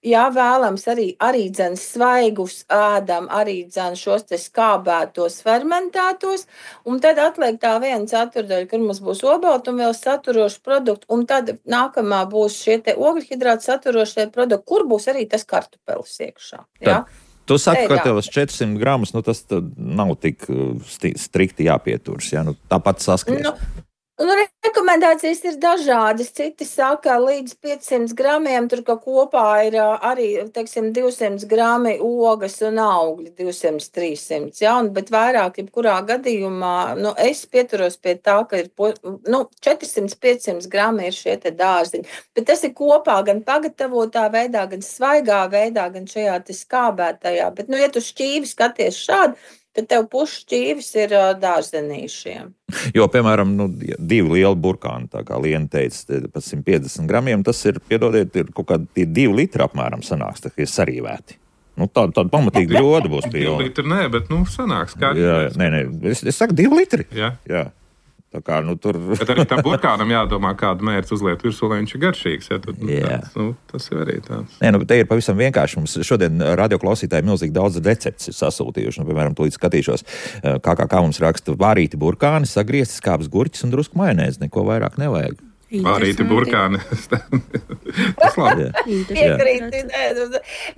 Jā, vēlams arī dzen svaigus ēdam, arī dzen šos te skābētos, fermentētos, un tad atliek tā 1/4, kur mums būs obalti un vēl saturoši produkti, un tad nākamā būs šie te ogļhidrāti saturošie produkti, kur būs arī tas kartupelis iekšā. Jā? Tu saki, ka tev 400 gramus, tas nav tik strikti jāpieturas, ja? Tāpat saskries. Rekomendācijas ir dažādas. Citi saka, līdz 500 gramiem tur kopā ir arī, 200 grami ogas un augļi, 200-300, ja? Bet vairāk, jebkurā gadījumā, es pieturos pie tā, ka ir 400-500 grami ir šie te dārziņi. Bet tas ir kopā gan pagatavotā veidā, gan svaigā veidā, gan šajā te skābētajā. Bet, ja tu šķīvi skaties šādi, tad tev pusšķīvis ir dārzenīšiem. Jo, piemēram, 2 lieli burkāni, tā kā Liena teica, pa 150 gramiem, tas ir, piedodiet, ir kaut kādi 2 litri apmēram sanāks, tā kā ir sarīvēti. Tāda pamatīgi ļoda būs pilna. 2 litri nē, bet, sanāks kā. Jā, nē, es saku 2 litri. Jā. Tā kā, tur... Bet arī tam burkānam jādomā, kādu mērķi uzliet virsū, lai viņš ir garšīgs. Ja? Tas ir arī tāds. Nē, te ir pavisam vienkārši. Mums šodien radioklausītāji milzīgi daudz receptes ir sasūtījuši. Piemēram, tūlīt skatīšos, kā mums raksta vārīti burkāni, sagriezti skābes gurķis un drusku majonēzi. Neko vairāk nevajag. Vārīti burkāni. Tas labi. Piekrīti.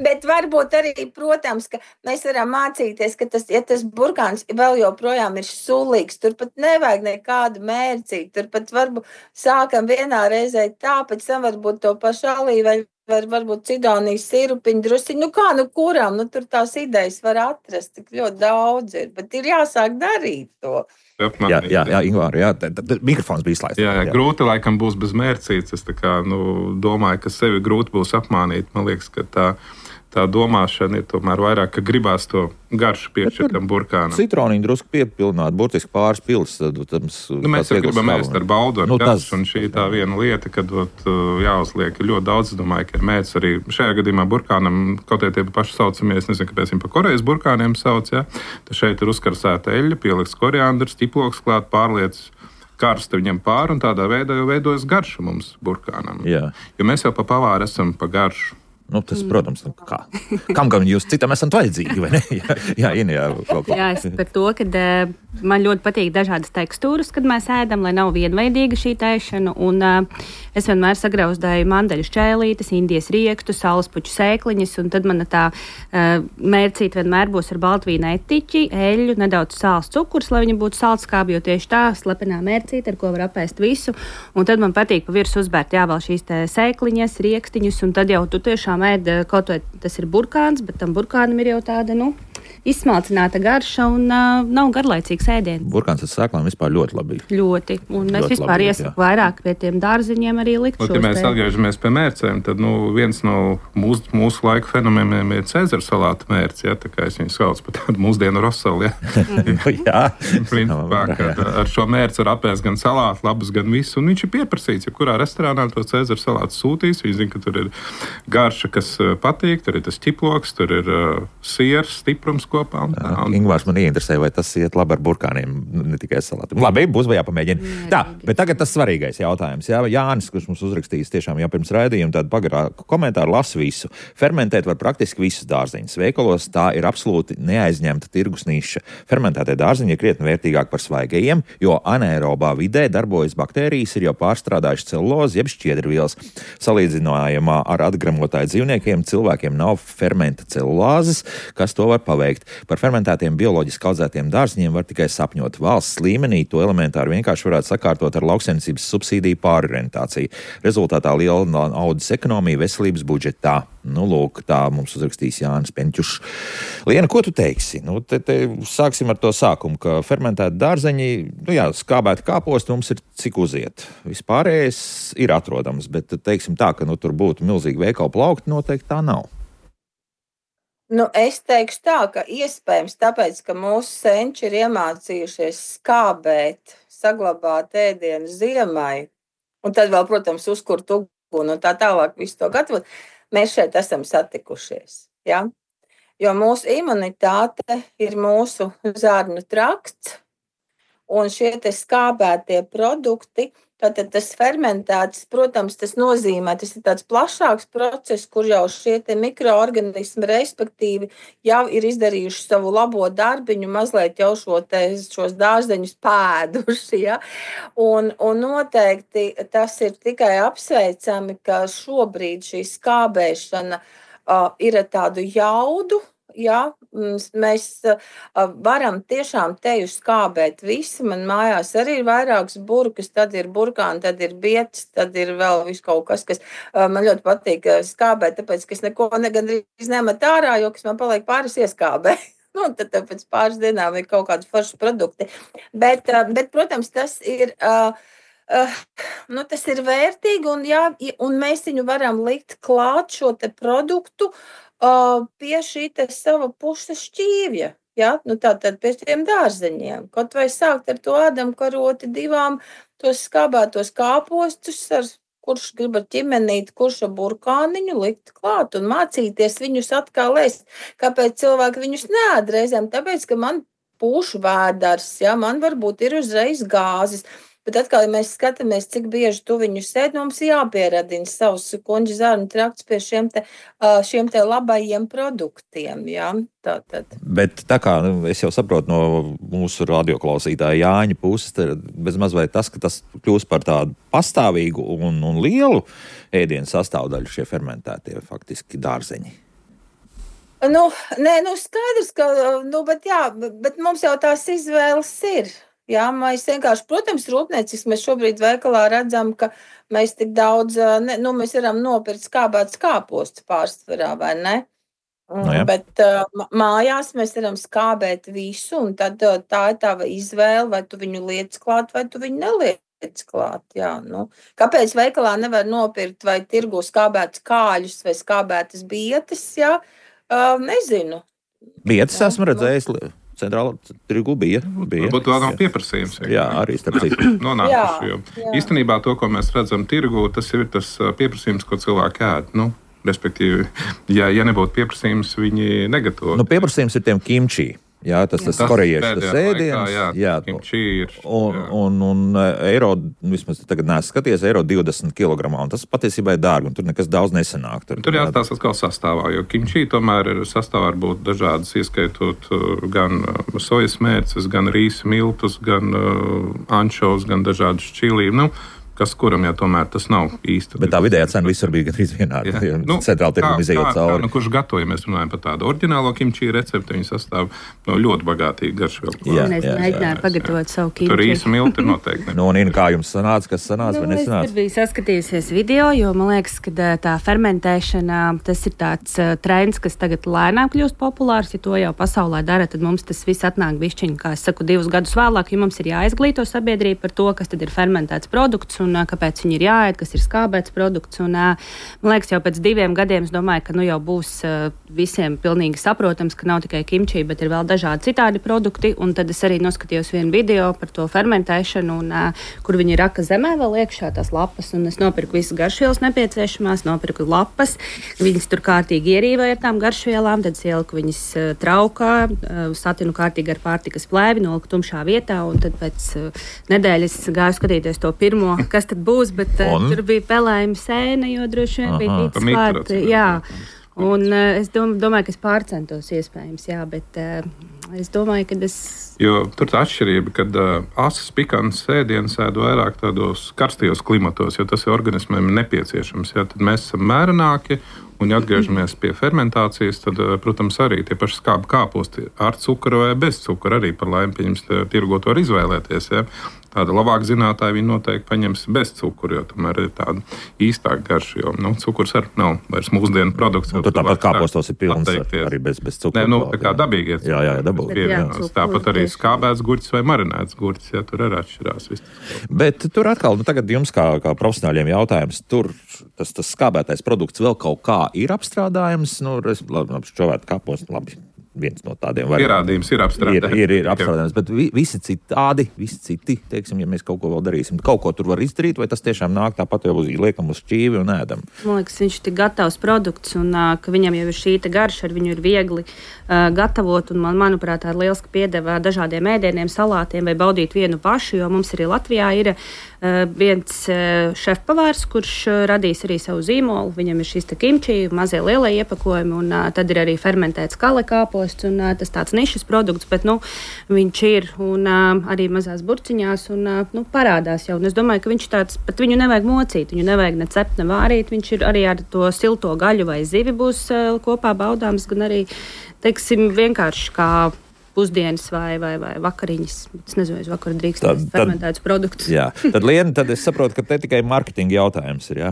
Bet varbūt arī, protams, ka mēs varam mācīties, ka tas burkāns vēl joprojām ir sulīgs, tur pat nevajag nekādu mērcīti, tur pat varbūt sākam vienā reizē tā, pēc tam varbūt to pašu olīveļu, varbūt cidonijas sirupiņu drusiņu, kuram, tur tās idejas var atrast, tik ļoti daudz ir, bet ir jāsāk darīt to. Jā, Ingvār, mikrofons bija izslēgts. Jā, grūti laikam būs bez mērcītes. Es domāju, ka sevi grūti būs apmānīt. Man liekas, ka tā domāšana ir tomēr vairāk, ka gribās to garšu piešķirt tam burkānam. Citroniņu drusku piepilnāt, burtiski pāris pils. Mēs jau gribam ēst ar baudu ar garšu, un šī tā viena lieta, kad jāuzliek ļoti daudz. Es domāju, ka ir mērķis arī šajā gadījumā burkānam, kaut tie paši saucamie, es nezinu, kāpēc viņi pa Korejas burkāniem sauc, ja? Tad šeit ir uzkarsēta eļļa, pieliks koriandrs, tiploks klāt, pārliec karsta viņam pāri, un tādā veidā jau veidojas garša mums burkānam. Jā. Jo mēs jau pa pavāru esam pa garšu. Tas, protams, kā? Kam gan jūs citam esat vajadzīgi, vai ne? Jā, es par to, ka man ļoti patīk dažādas tekstūras, kad mēs ēdam, lai nav vienveidīga šī tēšana, un es vienmēr sagrauzdēju mandeļu šķēlītes, indijas riektu, saulespuķu sēkliņas, un tad mana tā mērcīte vienmēr būs ar baltvīna etiķi, eļļu, nedaudz sāls cukurs, lai viņa būtu saldskābi, jo tieši tā slepenā mērcīte, ar ko var apēst visu, un tad man patīk pa virsmu uzbērt, vēl šīs te sēkliņas, riekstiņus, un tad jau tu tiešām ēd, kaut vai tas ir burkāns, bet tam burkānam ir jau tāda, izsmalcināta garša un nav garlaicīgs ēdiens. Burkāns ar sēklām vispār ļoti labi. Ļoti. Un es vispār iesaku vairāk pie tiem dārziņiem arī likt šos. Ja mēs atgriežamies pie mērcēm, tad viens no mūsu laika fenomeniem ir Cēzara salāta mērce. Ja, tā kā es viņu saucu par tādu mūsdienu rosali. Ja. Principā, ar šo mērci var apēst gan salātu, labus, gan visu. Un viņš ir pieprasīts, ja kurā restorānā to Cēzara salātu sūtīs. Viņi zina, ka tur ir garša, kas patīk, tur ir tas ķiploks, tur ir siers, stiprums kopā. Ingvārs man ieinteresē, vai tas iet labi ar burkāniem, ne tikai salātiem. Labi, būs vai jāpamēģina. Tā, bet tagad tas svarīgais jautājums. Jā, Jānis, kurš mums uzrakstījis tiešām jau pirms raidījuma, tādu pagarāku komentāru lasu visu. Fermentēt var praktiski visus dārziņus. Veikalos tā ir absolūti neaizņemta tirgus niša. Fermentētie dārziņi ir krietni vērtīgāk par svaigajiem, jo anaerobā vidē darbojas baktērijas, ir jau pārstrādājuši celulozi, jeb šķiedrvielas. Salīdzinājumā ar atgramotāju dzīvniekiem cilvēkiem nav fermenta celulāzes, kas to var paveikt. Par fermentētiem bioloģiski audzētiem dārziņiem var tikai sapņot. Valsts līmenī to elementāri vienkārši varētu sakārtot ar lauksaimniecības subsīdiju pārorientāciju. Rezultātā liela naudas ekonomija veselības budžetā. Lūk, tā mums uzrakstīs Jānis Penķušs. Liena, ko tu teiksi? Te sāksim ar to sākumu, ka fermentēti dārzeņi, skābēti kāposti mums ir cik uziet. Vispārējais ir atrodams, bet teiksim tā, ka tur būtu milzīgi veikalu plaukti, noteikti tā nav. Es teikšu tā, ka iespējams tāpēc, ka mūsu senči ir iemācījušies skābēt, saglabāt ēdienu ziemai, un tad vēl, protams, uzkurt uguni un tā tālāk visu to gatavot. Mēs šeit esam satikušies, ja? Jo mūsu imunitāte ir mūsu zarnu trakts, un šie te skābētie produkti, tātad tas fermentēts, protams, tas nozīmē, tas ir tāds plašāks process, kur jau šie te mikroorganismi, respektīvi, jau ir izdarījuši savu labo darbiņu, mazliet jau šos dārzeņus pēduši, ja? Un noteikti tas ir tikai apsveicami, ka šobrīd šī skābēšana ir ar tādu jaudu. Ja, mēs varam tiešām teju skābēt visi. Man mājās arī ir vairākas burkas, tad ir burkāni, tad ir bietis, tad ir vēl viss kaut kas, kas man ļoti patīk skābēt, tāpēc, ka es neko gandrīz nemet ārā, jo kas man paliek pāris ieskābē. Tad pēc pāris dienām ir kaut kādi forši produkti. Bet protams, tas ir... tas ir vērtīgi, un mēs viņu varam likt klāt šo te produktu pie šī te sava puša šķīvja, ja? Tātad pie tiem dārzeņiem. Kaut vai sākt ar to ēdam karoti 2 tos skābētos kāpostus, kurš grib ar ķimenīti, kurš ar burkāniņu likt klāt un mācīties viņus atkal ēst. Kāpēc cilvēki viņus neēd reizēm? Tāpēc, ka man pušu vēders, ja? Man varbūt ir uzreiz gāzes. Bet atkal, ja mēs skatāmies, cik bieži tu viņus ēd, mums jāpieradina savus kuņģa zarnu trakts pie šiem te labajiem produktiem. Ja? Tātad. Bet tā kā es jau saprotu no mūsu radioklausītāja Jāņa puses, bezmaz vai tas, ka tas kļūst par tādu pastāvīgu un lielu ēdienu sastāvdaļu šie fermentētie faktiski dārzeņi. Skaidrs, ka, bet mums jau tās izvēles ir. Jā, mēs vienkārši, protams, rūpnieciski mēs šobrīd veikalā redzam, ka mēs tik daudz, mēs varam nopirkt skābētas kāpostus pārsvarā, vai ne? Bet mājās mēs varam skābēt visu, un tad tā ir tava izvēle, vai tu viņu liec klāt, vai tu viņu neliec klāt. Jā, Kāpēc veikalā nevar nopirkt vai tirgu skābētas kāļus vai skābētas bietes, jā? Nezinu. Bietes esmu redzējis. Centrālā tirgu bija. Varbūt vēl nav pieprasījums. Jā, arī starp citu. Nonākuši. Īstenībā to, ko mēs redzam tirgu, tas ir tas pieprasījums, ko cilvēki ēd. Respektīvi, ja nebūtu pieprasījums, viņi negatavo. Pieprasījums ir tiem kimči. Jā, tas korejiešu ēdiens. Jā, kimči ir. Un eiro, vismaz tagad neesmu skaties, eiro 20 kg. Un tas patiesībā ir dārgi, un tur nekas daudz nesanāk. Tur jāstās atkal sastāvā, jo kimči tomēr ir sastāvā var būt dažādas, ieskaitot gan sojas mērces, gan rīsa miltus, gan ančovs, gan dažādas čili. kas kuram, ja tomēr tas nav īsti. Bet tā vidējā cena visur bija gandrīz vienāda. Centrāla tirguma izejot cauri. Kurš gatavoja, mēs runājam par tādu oriģinālo kimči recepti, viņi sastāv no ļoti bagātīgi garšvielu. Es mēģināju pagatavot savu kimči. Tur īsa milti noteikti. Un Ina, kā jums sanāca, kas sanāca vai nesanāca? Es biju saskatījusies video, jo man liekas, ka tā fermentēšana, tas ir tāds trends, kas tagad lēnām kļūst populārs. Ja to jau pasaulē dara, tad mums tas viss atnāk bišķiņi, kā es saku, 2 gadus vēlāk, jo mums ir jāizglīto sabiedrība par to, kas tad ir fermentēts produkts un kāpēc viņi ir jāēd, kas ir skābēts produkts. Un, man liekas, jau pēc 2 gadiem es domāju, ka jau būs visiem pilnīgi saprotams, ka nav tikai kimči, bet ir vēl dažādi citādi produkti. Un tad es arī noskatījos vienu video par to fermentēšanu, un, kur viņi raka zemē vēl iekšā tās lapas. Un es nopirku visas garšvielas nepieciešamās, nopirku lapas. Viņas tur kārtīgi ierīvēja ar tām garšvielām, tad ieliku viņas traukā, satinu kārtīgi ar pārtikas plēvi, noliku tumšā vietā, un tad pēc nedēļas gāju skatīties to pirmo, kas tad būs, bet tur bija pelējuma sēne, jo droši vien bija tīts klāt. Jā. Un es domāju, ka es pārcentos iespējams, jā, bet es domāju, ka Jo tur tā atšķirība, kad asas pikants ēdienas ēd vairāk tādos karstajos klimatos, jo tas ir organismiem nepieciešams. Ja, tad mēs esam mērenāki, un ja atgriežamies pie fermentācijas, tad, protams, arī tie paši skābi kāposti ar cukuru vai bez cukura arī par laimi pieņems tirgot var izvēlēties. Ja. Tāda labāk zinātāji viņi noteikti paņems bez cukura, jo tomēr ir tāda īstāka garša, jo cukurs arī nav vairs mūsdienu produkts. Tur tāpat kāpostos ir pilns arī bez cukura. Nē, tā kā dabīgi ir. Jā, dabīgi. Tāpat arī skābēts gurķis vai marinēts gurķis, ja tur arī atšķirās. Bet tur atkal, tagad jums kā profesionāļiem jautājums, tur tas skābētais produkts vēl kaut kā ir apstrādājams, šķovēt kāpostu, labi. Viens no tādiem pierādījums ir apstrādājums. Ir apstrādājums, bet visi citi, teiksim, ja mēs kaut ko vēl darīsim, kaut ko tur var izdarīt, vai tas tiešām nāk tāpat jau liekam uz šķīvi un ēdam? Man liekas, viņš ir gatavs produkts un ka viņam jau ir šī garša, ar viņu ir viegli gatavot, un manuprāt, tā ir lieliski piedeva dažādiem ēdieniem, salātiem vai baudīt vienu pašu, jo mums arī Latvijā ir viens šefpavārs, kurš radīs arī savu zīmolu. Viņam ir šis kimči, mazie lielie iepakojumi, un tad ir arī fermentēts kale kāposts, un tas tāds nišas produkts, bet viņš ir un arī mazās burciņās un parādās jau. Un es domāju, ka viņš tāds, pat viņu nevajag mocīt, viņu nevajag ne cept, ne vārīt, viņš ir arī ar to silto gaļu vai zivi būs kopā baudāms, gan arī, teiksim, vienkārši kā pusdienas vai vakariņas. Es nezinu, es vakar drīkst fermentētus produktus. Jā, tad Liena, tad es saprotu, ka te tikai marketinga jautājums ir, jā?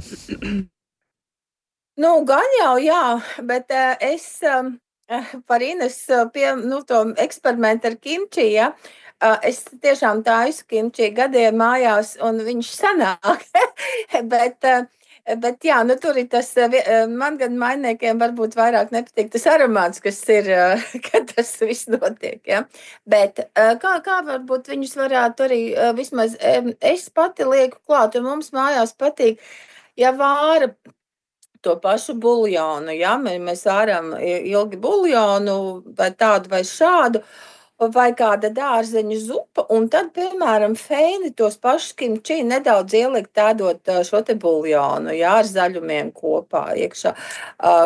Gan jau, jā, bet es par Ines to eksperimentu ar kimči, ja, es tiešām taisu kimči gadiem mājās, un viņš sanāk, Bet jā, tur ir tas, man gan mainiekiem varbūt vairāk nepatīk tas aromāts, kas ir, kad tas viss notiek, ja. Bet kā varbūt viņus varētu arī vismaz, es pati lieku klāt, un mums mājās patīk, ja vāra to pašu buljonu, ja, mēs vāram ilgi buljonu vai tādu vai šādu, vai kāda dārzeņu zupa, un tad, piemēram, feini tos pašus kimči nedaudz ielikt tādot šo te buljonu, jā, ar zaļumiem kopā iekšā,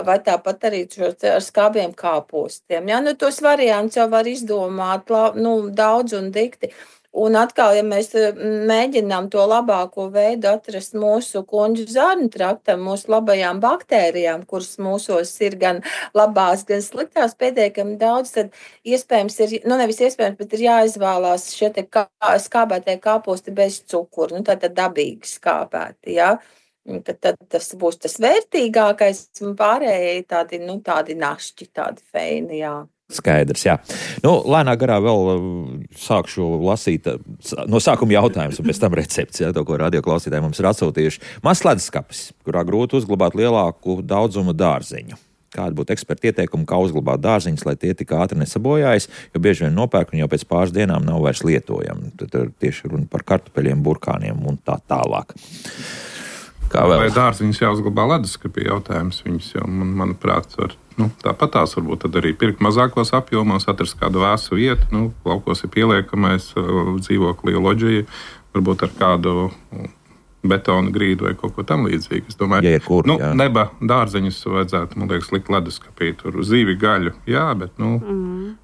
vai tāpat arī ar skābiem kāpostiem. Jā, tos variants jau var izdomāt, daudz un dikti. Un atkal, ja mēs mēģinām to labāko veidu atrast mūsu kuņģu zarnu traktam, mūsu labajām baktērijām, kuras mūsos ir gan labās, gan sliktās pietiekami daudz, tad iespējams ir, nevis iespējams, bet ir jāizvēlās šie te skābētie kāposti bez cukuru, tātad dabīgi skābēti, jā. Tad tas būs tas vērtīgākais, un pārējie tādi našķi, tādi feini, jā. Skaidrs, jā. Lēnā garā vēl sākšu lasīt no sākuma jautājums, un pēc tam recepts, jā, to, ko radioklausītāji mums ir atsūtījuši. Mazs ledeskapis, kurā grūti uzglabāt lielāku daudzumu dārzeņu. Kāda būtu eksperta ieteikuma, kā uzglabāt dārziņus, lai tie tik ātri nesabojājas, jo bieži vien nopērk un jau pēc pāris dienām nav vairs lietojami. Tad ir tieši runa par kartupeļiem, burkāniem un tā tālāk. Vai dārziņus jāuzglabā ledeskapī jautājums? Viņus jau, manuprāt, var tāpat tās varbūt tad arī pirkt mazākos apjomos, atrast kādu vēsu vietu, laukos ir pieliekamais dzīvoklī loģija, varbūt ar kādu betona grīdu vai kaut ko tam līdzīgu. Es domāju, neba dārzeņus vajadzētu, man liekas, likt ledeskapī, tur zīvi gaļu, jā, bet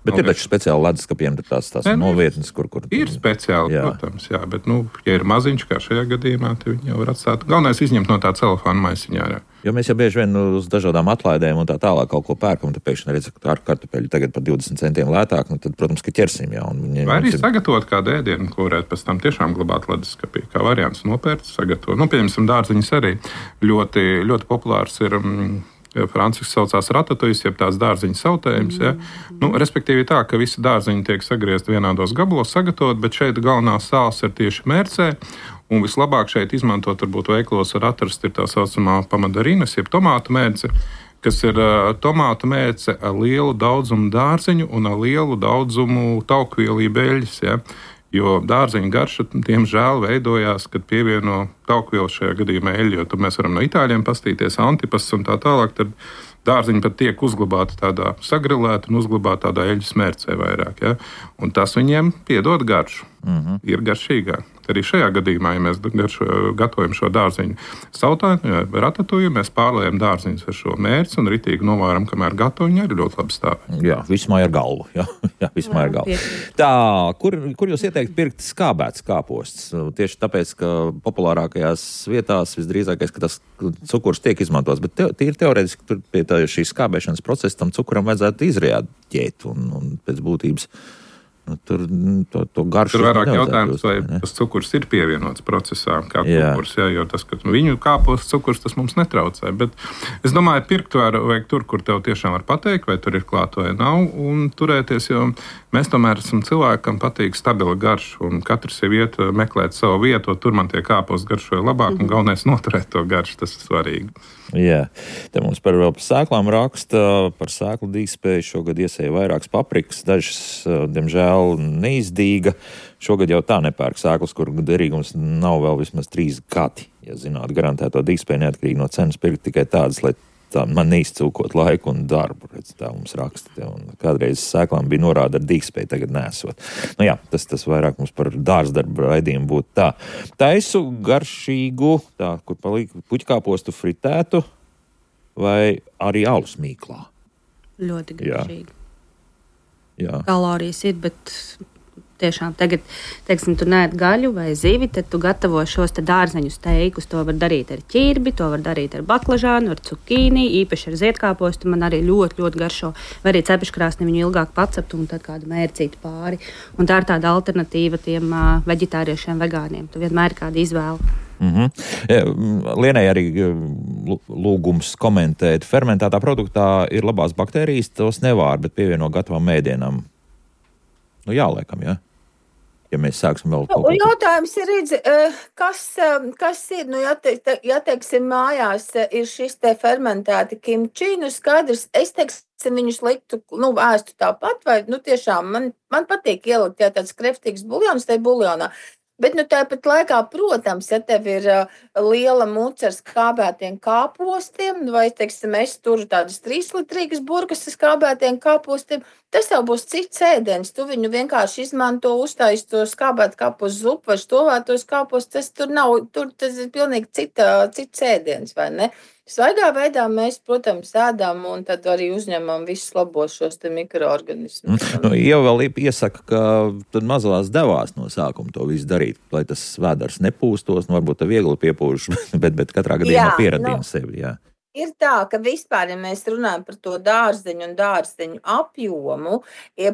Bet ir taču speciāli leduskapiem tās novietnes, kur... Ir speciāli, protams, jā, bet, ja ir maziņš, kā šajā gadījumā, tad viņi jau var atstāt. Galvenais izņemt no tā celofāna maisiņā, jā. Jo mēs jau bieži vien uz dažādām atlaidēm un tā tālāk kaut ko pērkam, tad pēkšņi redz, ka kartupeļi tagad par 20 centiem lētāk, tad, protams, ka ķersim, jā. Vai arī sagatavot kādu ēdienu, ko varētu pēc tam tiešām glabāt leduskapī, kā variants nopērts, sagatavot. Pieņemsim, dārziņas arī ļoti, ļoti populārs ir. Franciski saucās ratatouille, jeb tās dārziņu sautējums. Ja? Respektīvi tā, ka visi dārziņi tiek sagriezti vienādos gabalos, sagatavot, bet šeit galvenā sāls ir tieši mērcē. Un vislabāk šeit izmantot, varbūt veiklos var atrast, ir tā saucamā pamandarīnas, jeb tomātu mērce, kas ir tomātu mērce ar lielu daudzumu dārziņu un ar lielu daudzumu taukvielību eļļas. Ja? Jo dārziņa garša, diemžēl, veidojās, kad pievieno taukvielu šajā gadījumā eļļu, jo tad mēs varam no itāļiem pastīties antipas un tā tālāk, tad dārziņi pat tiek uzglabāti tādā sagrilēta un uzglabāti tādā eļļas mērcē vairāk. Ja? Un tas viņiem piedod garšu. Ir garšīgāk. Arī šajā gadījumā, ja mēs gatavojam šo dārziņu sautāju, ratatouille, mēs pārliejam dārziņus ar šo mērci un ritīgi novāram, kamēr gatavi, viņi arī ļoti labi stāv. Jā, vismaz ar galvu. Jā, vismaz ar galvu. Tā, kur jūs ieteikt pirkt skābēts kāposts? Tieši tāpēc, ka populārākajās vietās visdrīzākais, ka tas cukurs tiek izmantots, bet tīri teorētiski tur pie šīs skābēšanas procesa tam cukuram vajadzētu izrēģēt un pēc būtības. Tur garšu. Tur vairāk jautājums, vai tas cukurs ir pievienots procesā, kā cukurs, jo tas, ka viņu kāpos cukurs, tas mums netraucē. Bet es domāju, pirkt vajag tur, kur tev tiešām var pateikt, vai tur ir klāt vai nav, un turēties, jo mēs tomēr esam cilvēkam patīk stabila garša, un katrs jau iet meklēt savu vietu, tur man tie kāpos garšoja labāk, un galvenais noturēt to garšu, tas ir svarīgi. Jā, te mums par sēklām raksta, par sēklu dīgspēju šogad iesēja vairākas paprikas, dažas, diemžēl, neizdīga. Šogad jau tā nepērk sēklas, kur derīgums nav vēl vismaz 3 gadi. Ja zināt, garantēto dīgspēju neatkarīgi no cenas pirkt tikai tādas, lai tā man neizcūkot laiku un darbu. Redz, tā mums raksta. Un kādreiz sēklām bija norāda ar dīgspēju, tagad nesot. Jā, tas vairāk mums par dārzdarbu raidījumu būtu tā. Taisu garšīgu, tā, kur palika puķkāpostu fritētu vai arī alus mīklā. Ļoti garšīgi. Jā. Kalorijas ir, bet tiešām tagad, teiksim, tu neēd gaļu vai zivi, tad tu gatavo šos te dārzeņu steikus. To var darīt ar ķirbi, to var darīt ar baklažānu, ar cukīni, īpaši ar ziedkāpostu. Man arī ļoti, ļoti garšo. Vai arī cepeškrāsni viņu ilgāk pacept un tad kādu mērcītu pāri. Un tā ir tāda alternatīva tiem veģetāriešiem, vegāniem. Tu vienmēr ir kāda izvēle. Lienai arī lūgums komentēt. Fermentētā produktā ir labās baktērijas, tos nevār, bet pievieno gatavām mēdienām. Jāliekam, jā. Ja mēs sāksim vēl kaut ko. Jautājums ir, kas ir, ja teiksim, mājās ir šis te fermentēti kimči, skaidrs, es teiksim, viņus liktu, ēstu tāpat, vai, tiešām, man patīk ielikt, tāds kreftīgs buljons, tai buljonā. Bet tāpat laikā, protams, ja tev ir liela muca ar skābētiem kāpostiem, vai, teiksim, es turu tādas 3-litrīgas burkas ar skābētiem kāpostiem, tas jau būs cits ēdiens. Tu viņu vienkārši izmanto, uztais to skābēt kāpostu zupu vai štovētos kāpostus. Tas ir pilnīgi cits ēdiens, vai ne? Svaigā veidā mēs, protams, ēdam un tad arī uzņemam visus labos šos te mikroorganismus. Jau vēl iesaka, ka tad mazās devās no sākuma to visu darīt, lai tas vēders nepūstos, varbūt tā viegli piepūš, bet katrā gadījumā pieradina sevi, jā. Ir tā, ka vispār, ja mēs runājam par to dārzeņu un dārzeņu apjomu,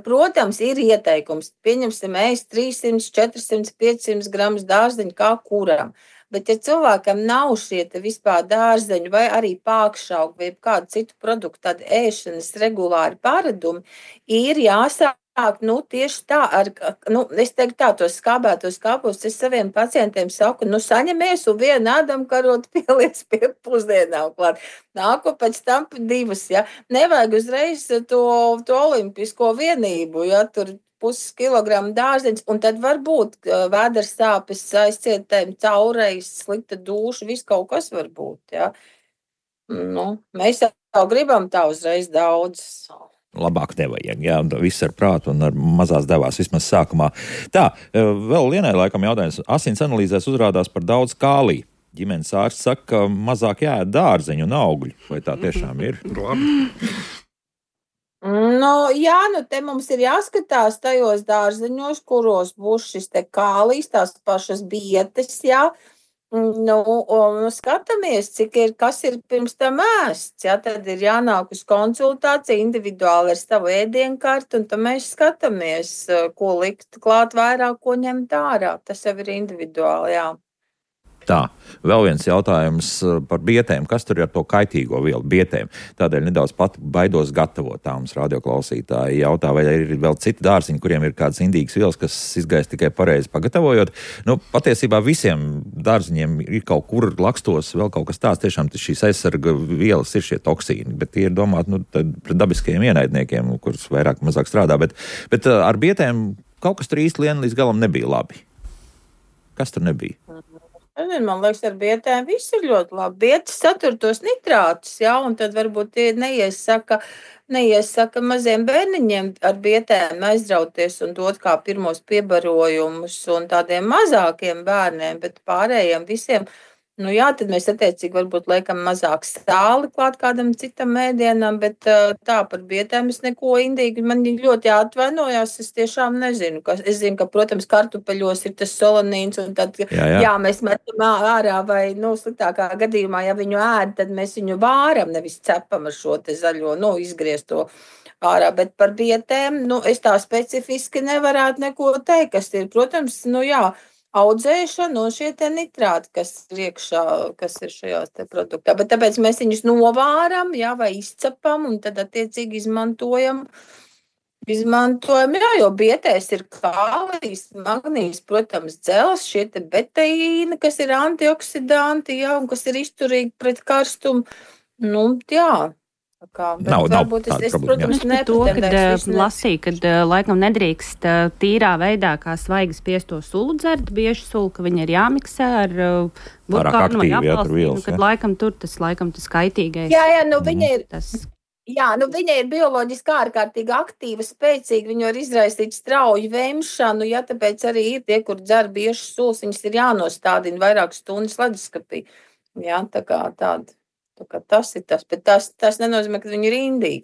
protams, ir ieteikums. Pieņemsim, ēst 300, 400, 500 gramus dārzeņu kā kuram. Bet, ja cilvēkam nav šie vispār dārzeņu vai arī pākšaugu vai kādu citu produktu, tādi ēšanas regulāri paradumi, ir jāsāk tieši tā, es teiktu tā, tos skābētos kāpostus es saviem pacientiem saku, saņemies un vienu ādamkarotu pieliec pie pusdienām klāt. Nāku pēc tam 2, ja. Nevajag uzreiz to olimpisko vienību, ja, tur 0,5 kilogramu dārzeņus, un tad var būt vēders sāpes, aizcietējumi, caurejas, slikta dūša, viss kaut kas var būt, ja. Mēs jau gribam tā uzreiz daudz. Labāk nevajag, jā, viss ar prātu un ar mazās devās vismaz sākumā. Tā, vēl Lienai laikam jautājums. Asins analīzēs uzrādās par daudz kālija. Ģimenes ārsts saka, ka mazāk jāēd dārzeņu un augļu. Vai tā tiešām ir? Labi. Jā, te mums ir jāskatās tajos dārzeņos, kuros būs šis te kālijs, tās pašas bietes, jā. Skatāmies, kas ir pirms tam ēsts, jā, tad ir jānāk uz konsultāciju individuāli ar savu ēdienkarti, un tad mēs skatāmies, ko likt klāt vairāk, ko ņemt ārā. Tas jau ir individuāli, jā. Tā, vēl viens jautājums par bietēm. Kas tur ir ar to kaitīgo vielu bietēm? Tādēļ nedaudz pat baidos gatavot. Tā mums radioklausītāji jautā, vai ir vēl citi dārziņi, kuriem ir kādas indīgas vielas, kas izgaist tikai pareizi pagatavojot. Patiesībā visiem dārziņiem ir kaut kur lakstos vēl kaut kas tāds. Tiešām šīs aizsarga vielas ir šie toksīni, bet tie ir domāti pret dabiskajiem ienaidniekiem, kurus vairāk mazāk strādā. Bet ar bietēm kaut kas tur īsti līdz galam nebija labi. Kas tur nebija? Man liekas, ar bietēm viss ir ļoti labi. Bietas satur tos nitrātus, jā, un tad varbūt tie neiesaka maziem bērniņiem ar bietēm aizrauties un dot kā pirmos piebarojumus un tādiem mazākiem bērniem, bet pārējiem visiem. Tad mēs attiecīgi varbūt liekam mazāk sāli klāt kādam citam ēdienam, bet tā par bietēm es neko indīgi. Man ļoti jāatvainojās, es tiešām nezinu. Es zinu, ka, protams, kartupeļos ir tas solanīns, un tad, jā, mēs metam ārā vai, sliktākā gadījumā, ja viņu ēd, tad mēs viņu vāram, nevis cepam ar šo te zaļo, izgriezto ārā. Bet par bietēm, es tā specifiski nevarētu neko teikt, kas ir, protams, audzēšana un šie te nitrāti, kas ir iekšā, kas ir šajās te produktā. Bet tāpēc mēs viņus novāram, vai izcepam un tad attiecīgi izmantojam, jo bietēs ir kālijs, magnījs, protams, dzels, šie te beteīni, kas ir antioksidanti, un kas ir izturīgi pret karstumu. Nav es, protams, lasīju, ka laikam nedrīkst tīrā veidā kā svaigi spiesto sulu dzert, bieži sulu, ka viņa ir jāmiksē ar burkānu vai apelsīnu, kad laikam tas kaitīgais. Viņa ir. Viņa ir bioloģiski ārkārtīgi aktīva, spēcīga, viņa var izraisīt strauju vemšanu, tāpēc arī ir tie, kur dzer bieži sulas, viņas ir jānostādina vairākas stundas leduskapī. Tā kā tāda. Tas ir tas, bet tas nenozīmē, ka viņi ir indīgi.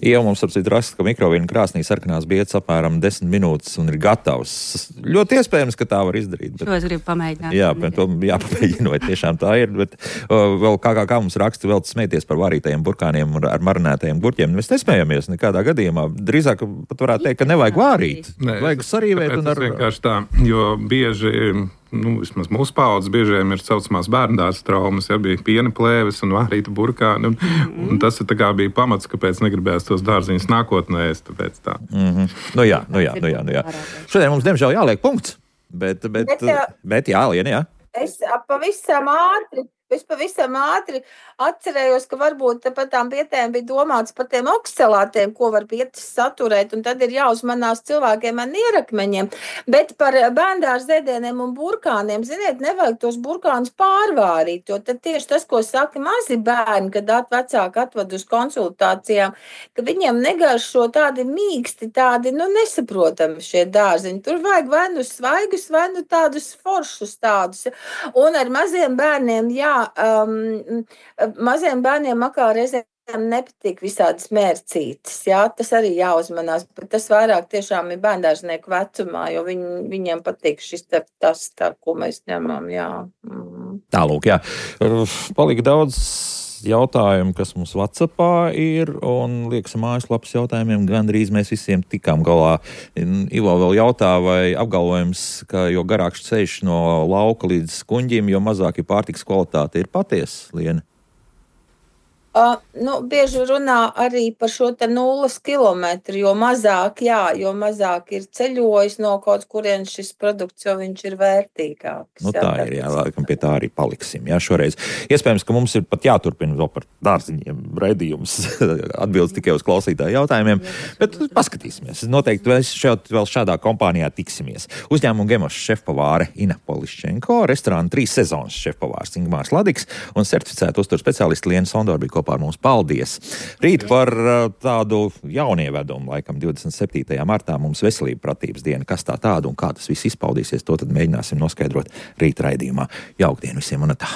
Jau mums apsit raksta, ka mikrovīna krāsnī sarkanās bietas apmēram 10 minūtes un ir gatavs. Ļoti iespējams, ka tā var izdarīt. Šo es gribu pamēģināt. Jā, bet to jāpamēģina, vai tiešām tā ir. Bet vēl kā mums raksta, vēl smēties par varītajiem burkāniem ar marinētajiem gurķiem. Mēs nesmējamies nekādā gadījumā. Drīzāk pat varētu teikt, ka nevajag vārīt. Vajag sarīvēt. Vienkārši tā, jo bieži... vismaz mūsu paudzes biežiem ir saucamās bērndārza traumas, bija piena plēves un vārīta burkāni, un tas bija pamats, kāpēc negribējās tos dārziņus nākotnē ēst, tāpēc tā. Jā. Šodien mums, diemžēl, jāliek punkts, bet jā, Liena, jā. Es pavisam ātri atcerējos, ka varbūt par tām bietēm bija domāts par tiem oksalātiem, ko var bietas saturēt, un tad ir jāuzmanās cilvēkiem ar nierakmeņiem. Bet par bērndārza ēdieniem un burkāniem, ziniet, nevajag tos burkānus pārvārīt, jo tad tieši tas, ko saka mazi bērni, kad vecāki atved uz konsultācijām, ka viņiem negaršo tādi mīksti, tādi, nesaprotami šie dārziņi. Tur vajag vai svaigus, vai tādus foršus tādus. Un ar maziem bērniem, maziem bērniem makā reizēm nepatīk visādas mērcītes, tas arī jāuzmanās, bet tas vairāk tiešām ir bērndārznieku vecumā, jo viņiem patīk tas, ko mēs ņemam, Tālūk, palika daudz jautājumu, kas mums WhatsAppā ir, un liekas mājaslapas jautājumiem gandrīz mēs visiem tikām galā. Ivo vēl jautā, vai apgalvojums, ka jo garāks ceļš no lauka līdz kuņģim, jo mazāk ir pārtikas kvalitāte, ir patiesa, Liena? Bieži runā arī par šo te 0 kilometru, jo mazāk ir ceļojis no kaut kurienes šis produkts, jo viņš ir vērtīgāks. Tā ir, laikam pie tā arī paliksim, šoreiz. Iespējams, ka mums ir pat jāturpina vēl par dārziņiem raidījums, atbildes tikai uz klausītāju jautājumiem, bet paskatīsimies. Noteikti vēl šādā kompānijā tiksimies. Uzņēmumu Gemošs šefpavāre Ina Poliščenko, restorāna 3 sezonas šefpavārs Ingmārs Ladiks un certificēta uzturu speciālisti Liena Sondora bija kopā ar mums. Paldies! Rīt par tādu jaunievedumu, laikam 27. martā mums veselība pratības diena. Kas tā tāda un kā tas viss izpaudīsies, to tad mēģināsim noskaidrot rīt raidījumā. Jauktdien visiem un tā!